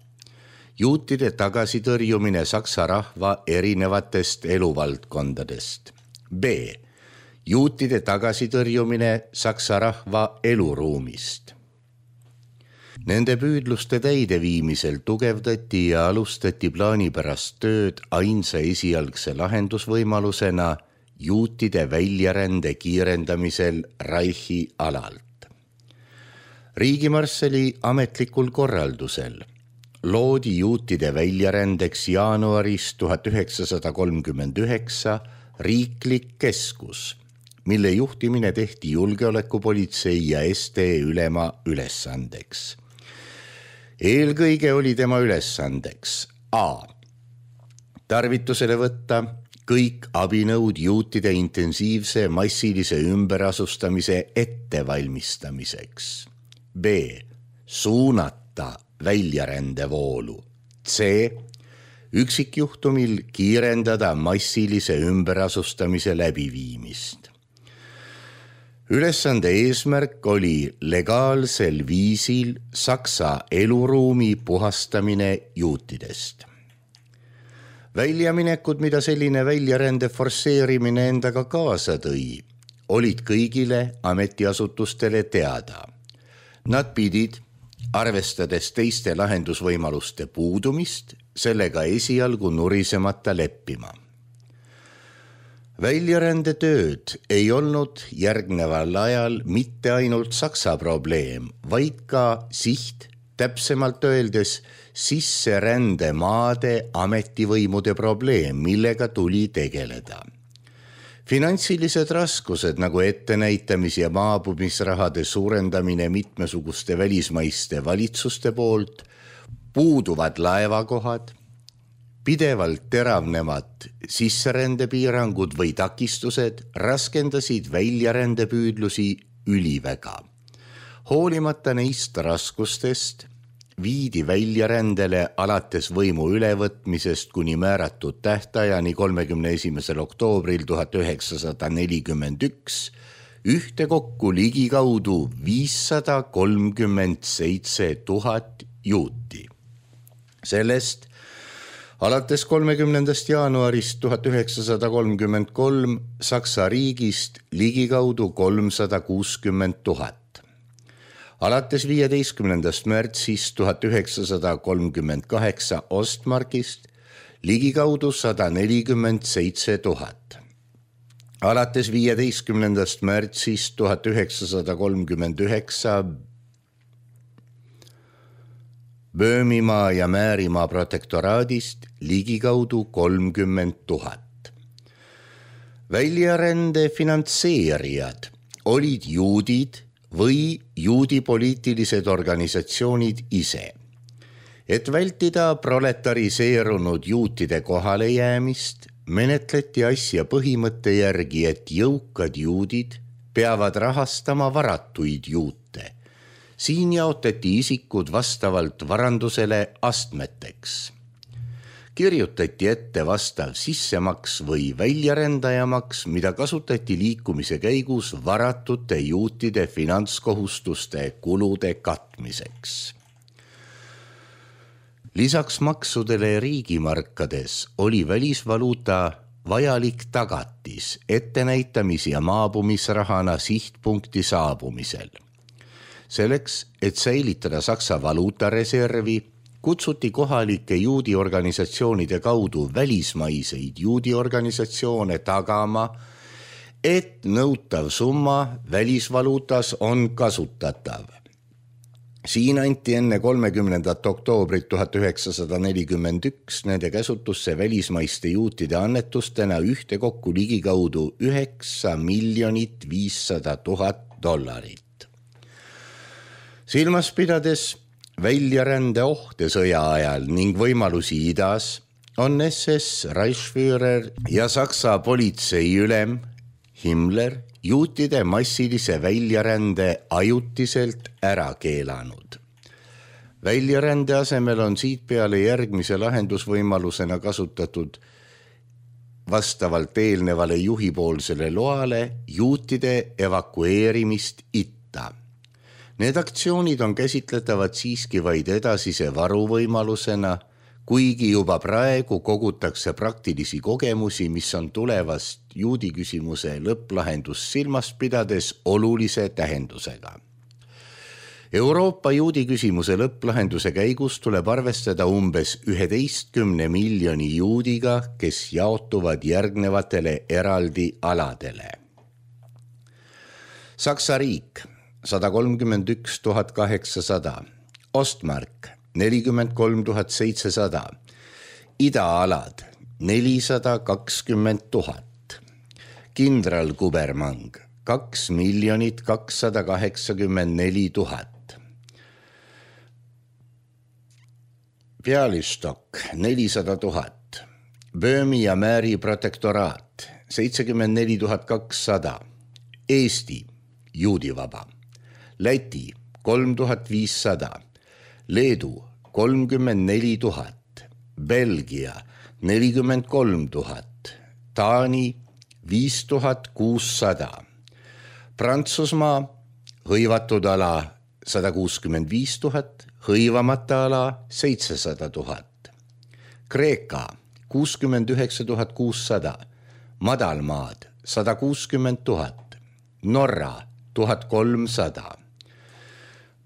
[SPEAKER 3] Juutide tagasitõrjumine saksa rahva erinevatest eluvaldkondadest. B. Juutide tagasitõrjumine saksa rahva eluruumist. Nende püüdluste täideviimisel tugevdati ja alustati plaanipärast tööd ainsa esialgse lahendusvõimalusena juutide väljarände kiirendamisel Reichi alalt. Riigimarssali ametlikul korraldusel loodi juutide väljarändeks jaanuaris 1939 riiklik keskus, mille juhtimine tehti julgeolekupolitsei ja SD ülema ülesandeks. Eelkõige oli tema ülesandeks A. Tarvitusele võtta kõik abinõud juutide intensiivse massilise ümberasustamise ettevalmistamiseks. B. Suunata väljarändevoolu. C. Üksikjuhtumil kiirendada massilise ümberasustamise läbiviimist. Ülesande eesmärk oli legaalsel viisil Saksa eluruumi puhastamine juutidest. Väljaminekud, mida selline väljarände forsseerimine endaga kaasa tõi, olid kõigile ametiasutustele teada. Nad pidid, arvestades teiste lahendusvõimaluste puudumist, sellega esialgu nurisemata leppima. Väljarändetööd ei olnud järgneval ajal mitte ainult Saksa probleem, vaid ka siht, täpsemalt öeldes sisserändemaade ametivõimude probleem, millega tuli tegeleda. Finantsilised raskused nagu ettenäitamis- ja maabumisrahade suurendamine mitmesuguste välismaiste valitsuste poolt, puuduvad laevakohad, pidevalt teravnevad sisserändepiirangud või takistused raskendasid väljarändepüüdlusi üliväga. Hoolimata neist raskustest viidi väljarändele alates võimu ülevõtmisest kuni määratud tähtajani 31. oktoobril 1941 ühtekokku ligikaudu 537 000 juuti. Sellest alates 30. jaanuarist 1933 Saksa riigist ligikaudu 360 000. Alates 15. märtsist 1938 Ostmarkist ligikaudu 147 000. Alates 15. märtsist 1939 Böömimaa ja Määrimaa protektoraadist ligikaudu 30 000. Väljarände finantseerijad olid juudid või juudi poliitilised organisatsioonid ise. Et vältida proletariseerunud juutide kohalejäämist, menetleti asja põhimõtte järgi, et jõukad juudid peavad rahastama varatuid juute. Siin jaotati isikud vastavalt varandusele astmeteks. Kirjutati ette vastav sissemaks või väljarändajamaks, mida kasutati liikumise käigus varatute juutide finantskohustuste kulude katmiseks. Lisaks maksudele riigimarkades oli välisvaluuta vajalik tagatis ettenäitamis- ja maabumisrahana sihtpunkti saabumisel. Selleks, et säilitada Saksa valuutareservi, kutsuti kohalike juudi organisatsioonide kaudu välismaiseid juudi organisatsioone tagama, et nõutav summa välisvaluutas on kasutatav. Siin anti enne 30. oktoobrit 1941 nende käsutusse välismaiste juutide annetustena ühtekokku ligikaudu 9 500 000 $. Silmas pidades väljarände ohte sõja ajal ning võimalusi idas, on SS Reichsführer ja Saksa politseiülem Himmler juutide massilise väljarände ajutiselt ära keelanud. Väljarände asemel on siit peale järgmise lahendusvõimalusena kasutatud vastavalt eelnevale juhipoolsele loale juutide evakueerimist itta. Need aktsioonid on käsitletavad siiski vaid edasise varuvõimalusena, kuigi juba praegu kogutakse praktilisi kogemusi, mis on tulevast juudi küsimuse lõpplahendust silmas pidades olulise tähendusega. Euroopa juudi küsimuse lõpplahenduse käigus tuleb arvestada umbes 11 miljoni juudiga, kes jaotuvad järgnevatele eraldi aladele. Saksa riik 131 800, Ostmark 43 700, idaalad 420 000, kindralkubermang 2 284 000, Pealistok 400 000, Böömi ja Määri protektoraat 74 200, Eesti juudivaba, Läti 3500, Leedu 34 000, Belgia 43 000, Taani 5600, Prantsusmaa hõivatud ala 165 000, hõivamata ala 700 000. Kreeka 69 600, madalmaad 160 000, Norra 1300,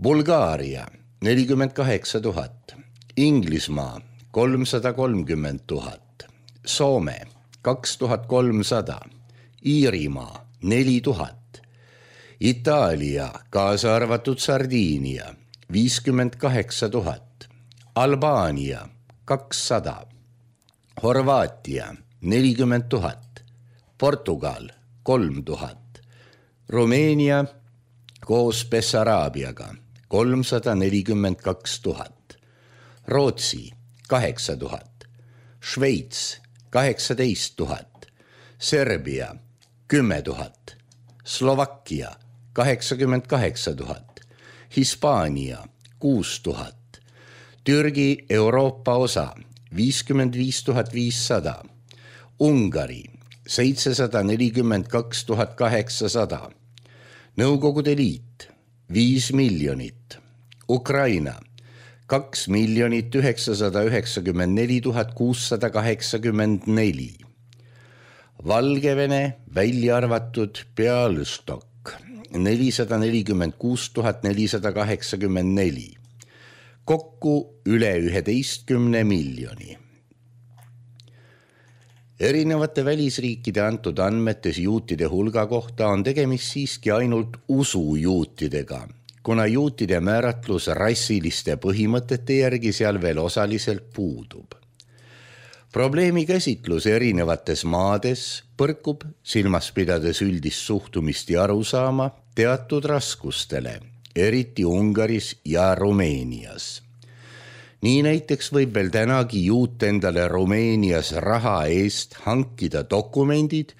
[SPEAKER 3] Bulgaaria 48 000, Inglismaa 330 000, Soome 2300, Iirimaa 4000, Itaalia kaasa arvatud Sardiinia 58 000, Albaania 200, Horvaatia 40 000, Portugal 3000, Rumeenia koos Bessaraabiaga 342 000, Rootsi 8000, Šveits 18 000, Serbia 10 000, Slovakkia 88 000, Hispaania 6 000, Türgi Euroopa osa 55 500, Ungari 742 800, Nõukogude Liit 5 miljonit, Ukraina 2 994 684, Valgevene välja arvatud Bialystok 446 484, kokku üle 11 miljoni. Erinevate välisriikide antud andmetes juutide hulga kohta on tegemist siiski ainult usujuutidega, kuna juutide määratlus rassiliste põhimõtete järgi seal veel osaliselt puudub. Probleemi käsitlus erinevates maades põrkub, silmas pidades üldist suhtumist ja arusaama, teatud raskustele, eriti Ungaris ja Rumeenias. Nii näiteks võib veel tänagi juut endale Rumeenias raha eest hankida dokumendid,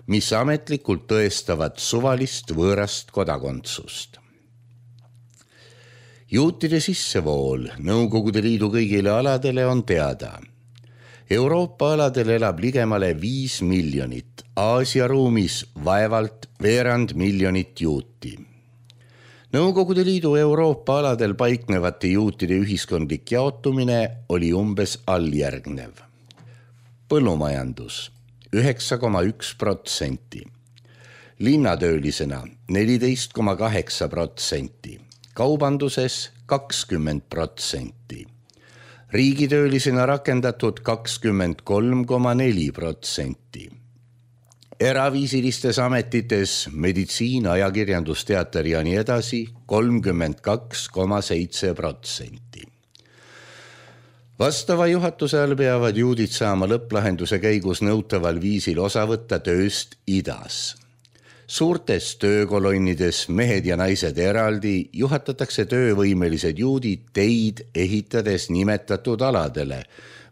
[SPEAKER 3] mis ametlikult tõestavad suvalist võõrast kodakondsust. Juutide sissevool Nõukogude Liidu kõigile aladele on teada. Euroopa aladel elab ligemale 5 miljonit, Aasia ruumis vaevalt veerand miljonit juuti. Nõukogude Liidu Euroopa aladel paiknevate juutide ühiskondlik jaotumine oli umbes alljärgnev. Põllumajandus 9,1%, linnatöölisena 14,8%, kaubanduses 20%, riigitöölisena rakendatud 23,4%, eraviisilistes ametites meditsiin, ajakirjandus, teater ja nii edasi 32,7%. Vastava juhatuse all peavad juudid saama lõpplahenduse käigus nõutaval viisil osa võtta tööst idas. Suurtes töökolonnides mehed ja naised eraldi juhatatakse töövõimelised juudid teid ehitades nimetatud aladele,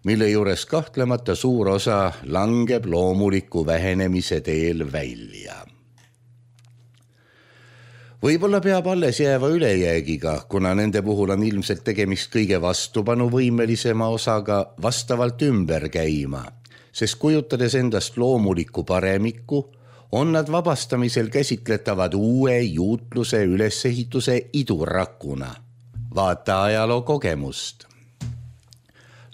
[SPEAKER 3] mille juures kahtlemata suur osa langeb loomuliku vähenemise teel välja. Võib-olla peab alles jääva ülejäägiga, kuna nende puhul on ilmselt tegemist kõige vastupanuvõimelisema osaga vastavalt ümber käima, sest kujutades endast loomulikku paremikku, on nad vabastamisel käsitletavad uue juutluse ülesehituse idurakuna. Vaata ajaloo kogemust.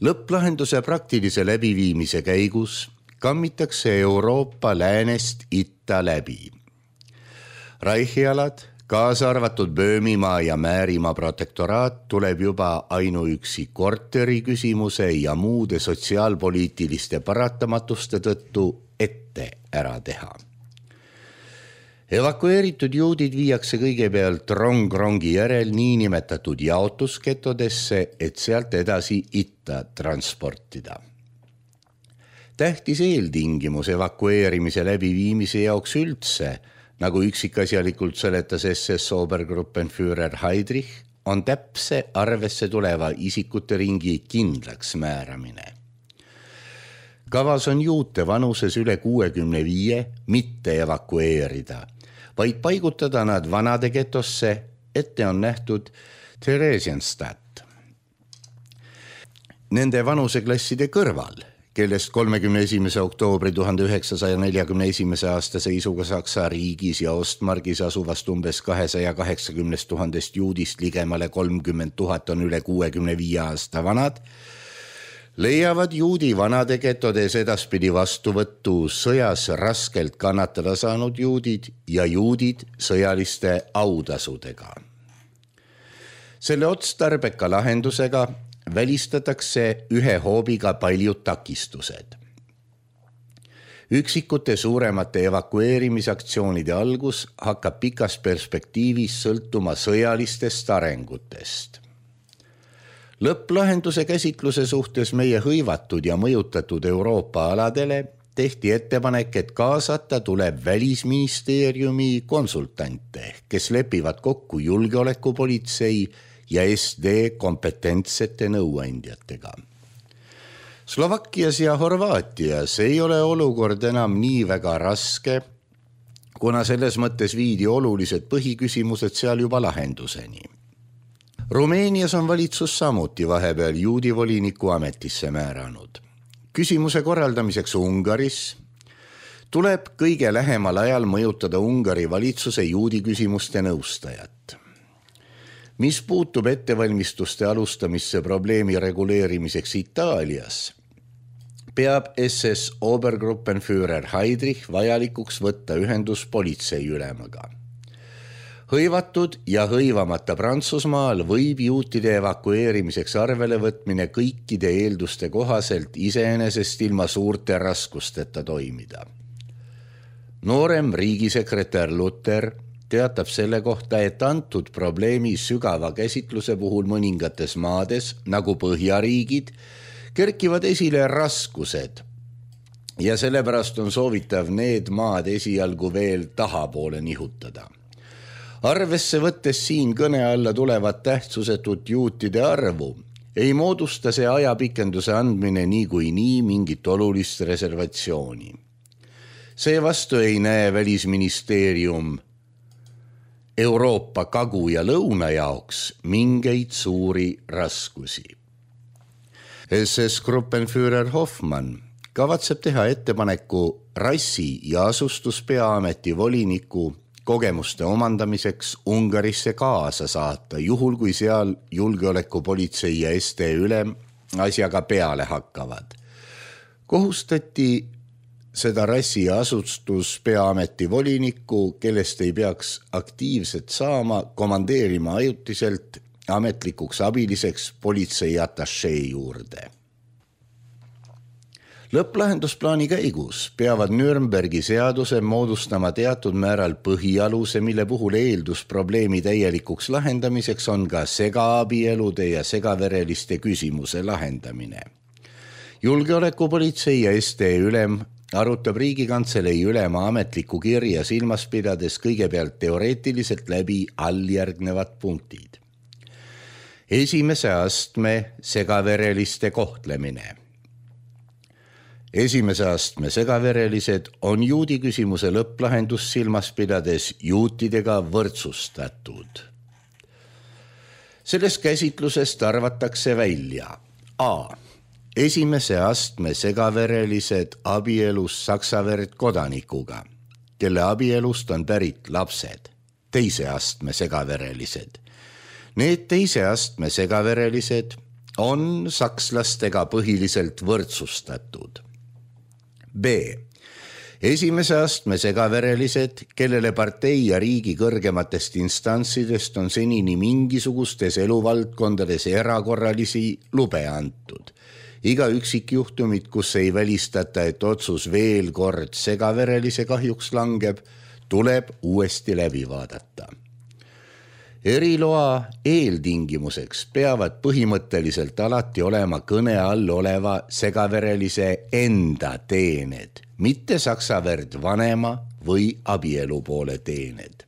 [SPEAKER 3] Lõpplahenduse praktilise läbiviimise käigus kammitakse Euroopa läänest itta läbi. Reichialad, kaasa arvatud Böömimaa ja Määrimaa protektoraat tuleb juba ainuüksi korteri küsimuse ja muude sotsiaalpoliitiliste paratamatuste tõttu ette ära teha. Evakueeritud juudid viiakse kõigepealt rong-rongi järel niinimetatud jaotusketodesse, et sealt edasi itta transportida. Tähtis eeltingimus evakueerimise läbiviimise jaoks üldse, nagu üksikasjalikult seletas SS Obergruppenführer Heydrich, on täpse arvesse tuleva isikute ringi kindlaks määramine. Kavas on juute vanuses üle 65 mitte evakueerida, vaid paigutada nad vanade getosse, ette on nähtud Theresienstadt. Nende vanuseklasside kõrval kellest 31. oktoobri 1941. aasta seisuga Saksa riigis ja Ostmargis asuvast umbes 280 000 juudist ligemale 30 000 on üle 65 aasta vanad, leiavad juudi vanade getodes edaspidi vastuvõttu sõjas raskelt kannatada saanud juudid ja juudid sõjaliste autasudega. Selle otstarbeka lahendusega välistatakse ühe hoobiga paljud takistused. Üksikute suuremate evakueerimisaktsioonide algus hakkab pikas perspektiivis sõltuma sõjalistest arengutest. Lõpplahenduse käsitluse suhtes meie hõivatud ja mõjutatud Euroopa aladele tehti ettepanek, et kaasata tuleb Välisministeeriumi konsultante, kes lepivad kokku julgeolekupolitsei ja SD kompetentsete nõuandjatega. Slovakkias ja Horvaatias ei ole olukord enam nii väga raske, kuna selles mõttes viidi olulised põhiküsimused seal juba lahenduseni. Rumeenias on valitsus samuti vahepeal juudi voliniku ametisse määranud. Küsimuse korraldamiseks Ungaris tuleb kõige lähemal ajal mõjutada Ungari valitsuse juudi küsimuste nõustajat. Mis puutub ettevalmistuste alustamisse probleemi reguleerimiseks Itaalias, peab SS Obergruppenführer Heydrich vajalikuks võtta ühendus politseiülemaga. Hõivatud ja hõivamata Prantsusmaal võib juutide evakueerimiseks arvele võtmine kõikide eelduste kohaselt iseenesest ilma suurte raskusteta toimida. Noorem riigisekretär Luther teatab selle kohta, et antud probleemi sügava käsitluse puhul mõningates maades, nagu Põhjariigid, kerkivad esile raskused ja sellepärast on soovitav need maad esialgu veel tahapoole nihutada. Arvesse võttes siin kõne alla tulevat tähtsusetut juutide arvu, ei moodusta see ajapikenduse andmine nii mingit olulist reservatsiooni. Seevastu ei näe Välisministeerium Euroopa kagu ja lõuna jaoks mingeid suuri raskusi. SS Gruppenführer Hoffmann kavatseb teha ettepaneku rassi- ja asustuspeaameti voliniku kogemuste omandamiseks Ungarisse kaasa saata, juhul kui seal julgeolekupolitsei ja SD ülem asjaga peale hakkavad. Kohustati seda rassi- ja asustuspeaameti volinikku, kellest ei peaks aktiivselt saama, komandeerima ajutiselt ametlikuks abiliseks politsei atašee juurde. Lõpplahendusplaani käigus peavad Nürnbergi seaduse moodustama teatud määral põhialuse, mille puhul eeldus probleemi täielikuks lahendamiseks on ka segaabielude ja segavereliste küsimuse lahendamine. Julgeolekupolitsei ja SD ülem arutab Riigikantselei ülema ametlikku kirja silmas pidades kõigepealt teoreetiliselt läbi alljärgnevad punktid. Esimese astme segavereliste kohtlemine. Esimese astme segaverelised on juudi küsimuse lõpplahendus silmas pidades juutidega võrdsustatud. Sellest käsitlusest arvatakse välja A. Esimese astme segaverelised abielus saksaverd kodanikuga, kelle abielust on pärit lapsed. Teise astme segaverelised. Need teise astme segaverelised on sakslastega põhiliselt võrdsustatud. B. Esimese astme segaverelised, kellele partei ja riigi kõrgematest instantsidest on senini mingisugustes eluvaldkondades erakorralisi lube antud. Iga üksikjuhtumit, kus ei välistata, et otsus veel kord segaverelise kahjuks langeb, tuleb uuesti läbi vaadata. Eriloa eeltingimuseks peavad põhimõtteliselt alati olema kõne all oleva segaverelise enda teened, mitte saksaverd vanema või abielupoole teened.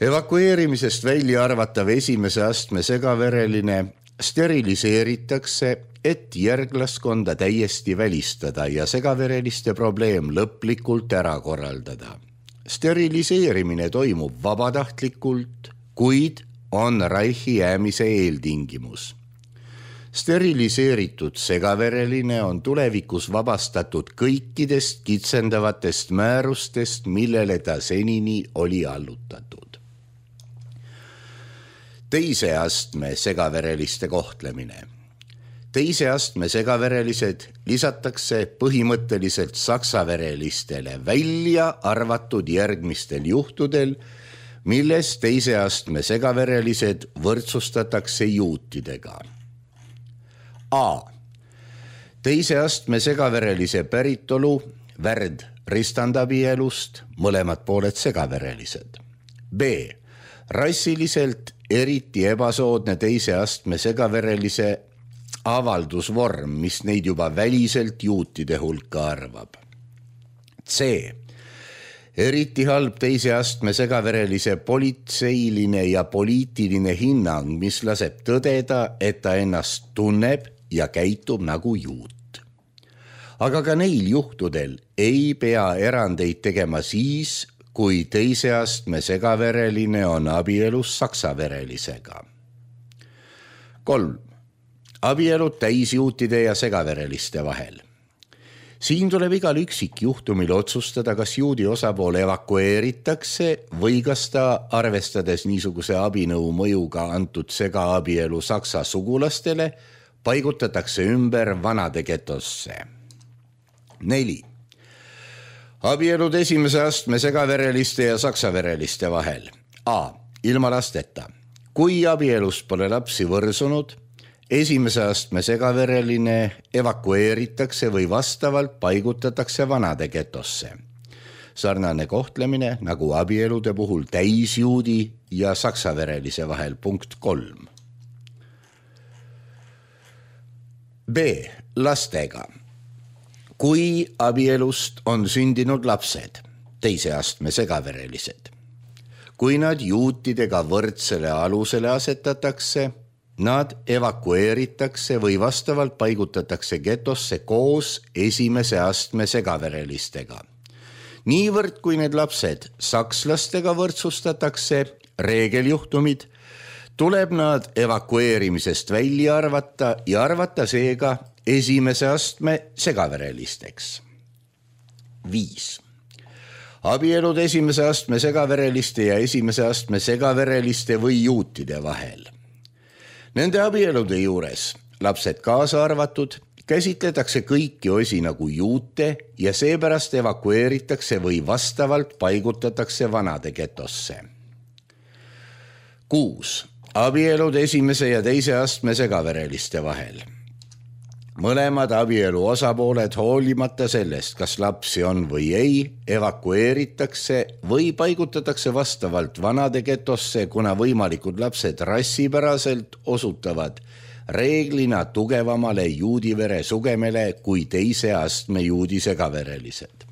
[SPEAKER 3] Evakueerimisest välja arvatav esimese astme segavereline steriliseeritakse, et järglaskonda täiesti välistada ja segavereliste probleem lõplikult ära korraldada. Steriliseerimine toimub vabatahtlikult, kuid on Reichi jäämise eeltingimus. Steriliseeritud segavereline on tulevikus vabastatud kõikidest kitsendavatest määrustest, millele ta senini oli allutatud. Teise astme segavereliste kohtlemine. Teise astme segaverelised lisatakse põhimõtteliselt saksaverelistele välja arvatud järgmistel juhtudel, milles teise astme segaverelised võrdsustatakse juutidega. A. Teise astme segaverelise päritolu värd ristandabielust, mõlemad pooled segaverelised. B. Rassiliselt eriti ebasoodne teise astme segaverelise avaldusvorm, mis neid juba väliselt juutide hulka arvab. C. Eriti halb teise astme segaverelise politseiline ja poliitiline hinnang, mis laseb tõdeda, et ta ennast tunneb ja käitub nagu juut. Aga ka neil juhtudel ei pea erandeid tegema siis, kui teise astme segavereline on abielus saksaverelisega. 3. Abielud täisjuutide ja segavereliste vahel. Siin tuleb igal üksikjuhtumil otsustada, kas juudi osapool evakueeritakse või kas ta, arvestades niisuguse abinõu mõjuga antud segaabielu saksa sugulastele, paigutatakse ümber vanade getosse. 4. Abielud esimese astme segavereliste ja saksavereliste vahel. A. Ilma lasteta. Kui abielus pole lapsi võrsunud, esimese astme segavereline evakueeritakse või vastavalt paigutatakse vanade getosse. Sarnane kohtlemine nagu abielude puhul täisjuudi ja saksaverelise vahel. Punkt 3. B. Lastega. Kui abielust on sündinud lapsed, teise astme segaverelised, kui nad juutidega võrdsele alusele asetatakse, nad evakueeritakse või vastavalt paigutatakse getosse koos esimese astme segaverelistega. Niivõrd, kui need lapsed sakslastega võrdsustatakse, reegeljuhtumid, tuleb nad evakueerimisest välja arvata ja arvata seega esimese astme segaverelisteks. 5. Abielud esimese astme segavereliste ja esimese astme segavereliste või juutide vahel. Nende abielude juures, lapsed kaasa arvatud, käsitletakse kõiki osi nagu juute ja seepärast evakueeritakse või vastavalt paigutatakse vanade getosse. 6. Abielud esimese ja teise astme segavereliste vahel. Mõlemad abielu osapooled, hoolimata sellest, kas lapsi on või ei, evakueeritakse või paigutatakse vastavalt vanade getosse, kuna võimalikud lapsed rassipäraselt osutavad reeglina tugevamale juudivere sugemele kui teise astme juudi segaverelised.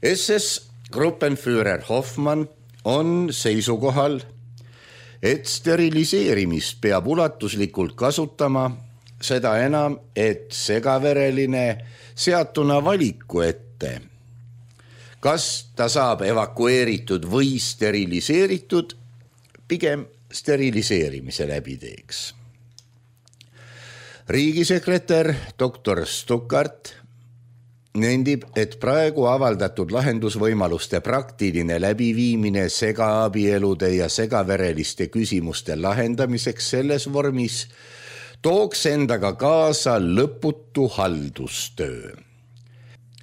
[SPEAKER 3] SS Gruppenführer Hoffmann on seisukohal, et steriliseerimist peab ulatuslikult kasutama, seda enam, et segavereline seatuna valiku ette, kas ta saab evakueeritud või steriliseeritud, pigem steriliseerimise läbi teeks. Riigisekretär Dr. Stuckart nendib, et praegu avaldatud lahendusvõimaluste praktiline läbiviimine segaabielude ja segavereliste küsimuste lahendamiseks selles vormis tooks endaga kaasa lõputu haldustöö.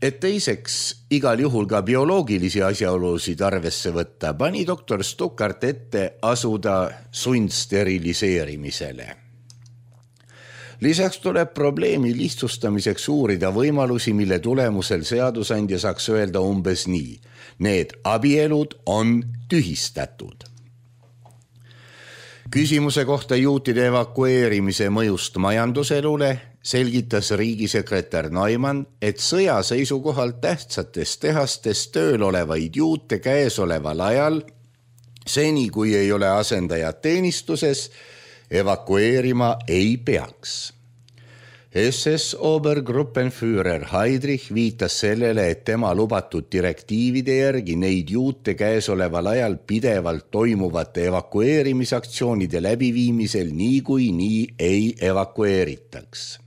[SPEAKER 3] Et teiseks igal juhul ka bioloogilisi asjaolusid arvesse võtta, pani doktor Stuckart ette asuda sundsteriliseerimisele. Lisaks tuleb probleemi lihtsustamiseks uurida võimalusi, mille tulemusel seadusandja saaks öelda umbes nii. Need abielud on tühistatud. Küsimuse kohta juutide evakueerimise mõjust majanduselule selgitas riigisekretär Neumann, et sõja seisukohalt tähtsates tehastes tööl olevaid juute käesoleval ajal, seni kui ei ole asendajad teenistuses, evakueerima ei peaks. SS Obergruppenführer Heydrich viitas sellele, et tema lubatud direktiivide järgi neid juute käesoleval ajal pidevalt toimuvate evakueerimisaktsioonide läbiviimisel niikuinii ei evakueeritaks.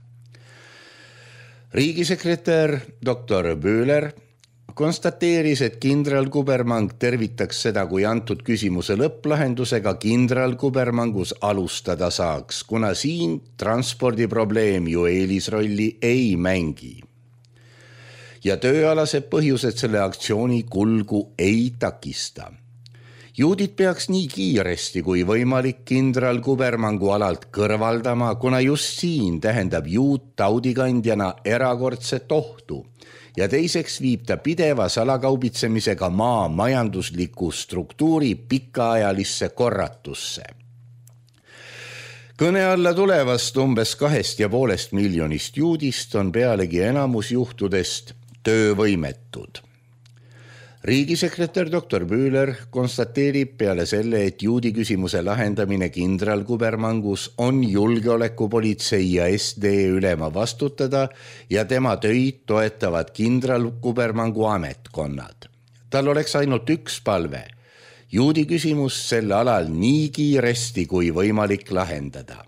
[SPEAKER 3] Riigisekretär Dr. Böhler konstateeris, et kindral Kubermang tervitaks seda, kui antud küsimuse lõpplahendusega kindral Kubermangus alustada saaks, kuna siin transpordiprobleem ju eelisrolli ei mängi. Ja tööalased põhjused selle aktsiooni kulgu ei takista. Juudid peaks nii kiiresti kui võimalik kindral Kubermangu alalt kõrvaldama, kuna just siin tähendab juut taudikandjana erakordset ohtu. Ja teiseks viib ta pideva salakaubitsemisega maa majandusliku struktuuri pikaajalisse korratusse. Kõne alla tulevast umbes 2,5 miljonist juudist on pealegi enamus juhtudest töövõimetud. Riigisekretär Dr. Böhler konstateerib peale selle, et juudi küsimuse lahendamine kindral Kubermangus on julgeolekupolitsei ja SD ülema vastutada ja tema töid toetavad kindral Kubermangu ametkonnad. Tal oleks ainult üks palve. Juudi küsimus sel alal nii kiiresti kui võimalik lahendada.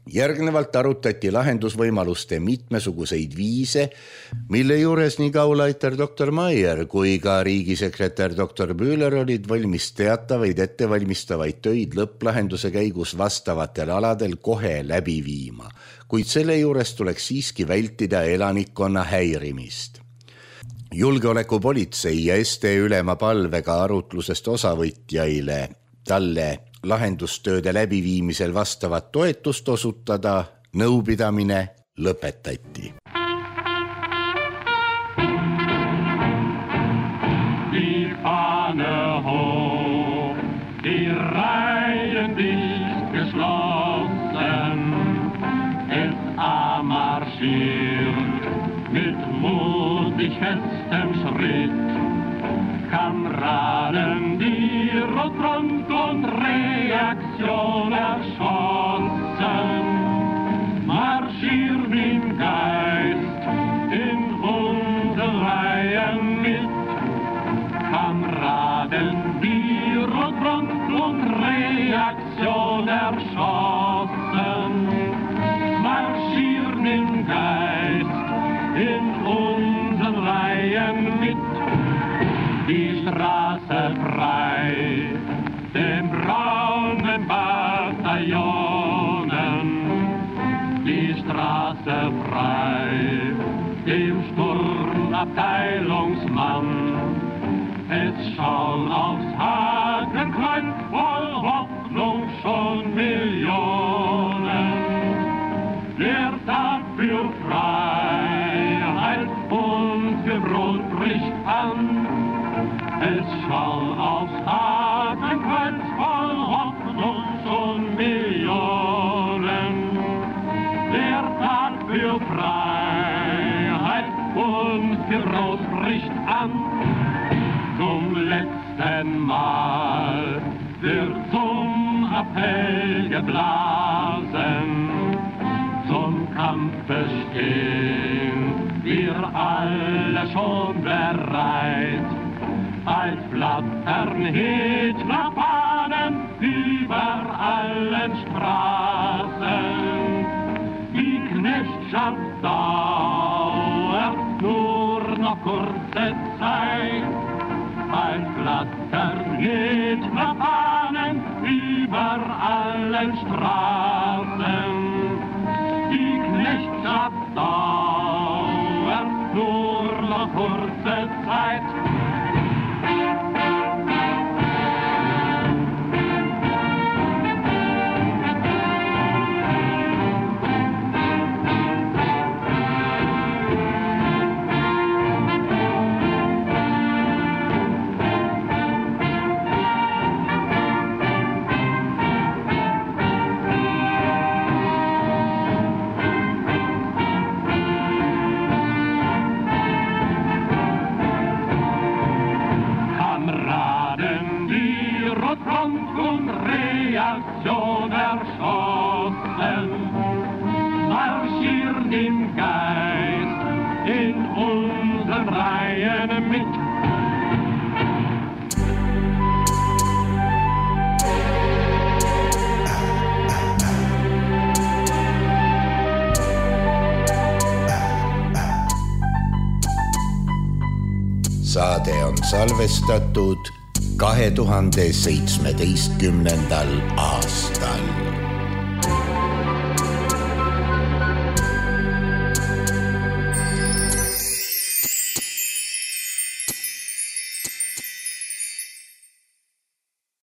[SPEAKER 3] Järgnevalt arutati lahendusvõimaluste mitmesuguseid viise, mille juures nii kaulaiter Dr. Maier kui ka riigisekretär Dr. Böhler olid valmis teatavaid ettevalmistavaid töid lõpplahenduse käigus vastavatel aladel kohe läbi viima, kuid selle juures tuleks siiski vältida elanikkonna häirimist. Julgeolekupolitsei ja SD ülema palvega arutlusest osavõtjaile talle lahendustööde läbiviimisel vastavat toetust osutada, nõupidamine lõpetati.
[SPEAKER 4] Die Fahne hoch, die Reihen dicht geschlossen, SA marschiert mit mutig festem Schritt. Kameraden, die Rotfront und Reaktion erschossen, marschieren im Geist in unsere Reihen mit. Kameraden, die Rotfront und Reaktion erschossen, marschieren im Geist in unsere Reihen mit. Die Straße frei, den braunen Bataillonen. Die Straße frei, dem Sturmabteilungsmann. Es schauen aufs Hakenkreuz voll Hoffnung schon Millionen. Der Tag für Freiheit und für Brot bricht an. Es schauen aufs Hakenkreuz voll Hoffnung schon Millionen. Der Tag für Freiheit und für Brot bricht an. Zum letzten Mal wird zum Appell geblasen. Zum Kampfe stehen wir alle schon bereit. Als flattern Hitlerfahnen über allen Straßen. Die Knechtschaft dauert nur noch kurze Zeit. Als flattern Hitlerfahnen über allen Straßen. Die Knechtschaft dauert nur noch kurze Zeit.
[SPEAKER 3] saade on salvestatud 2017. aastal.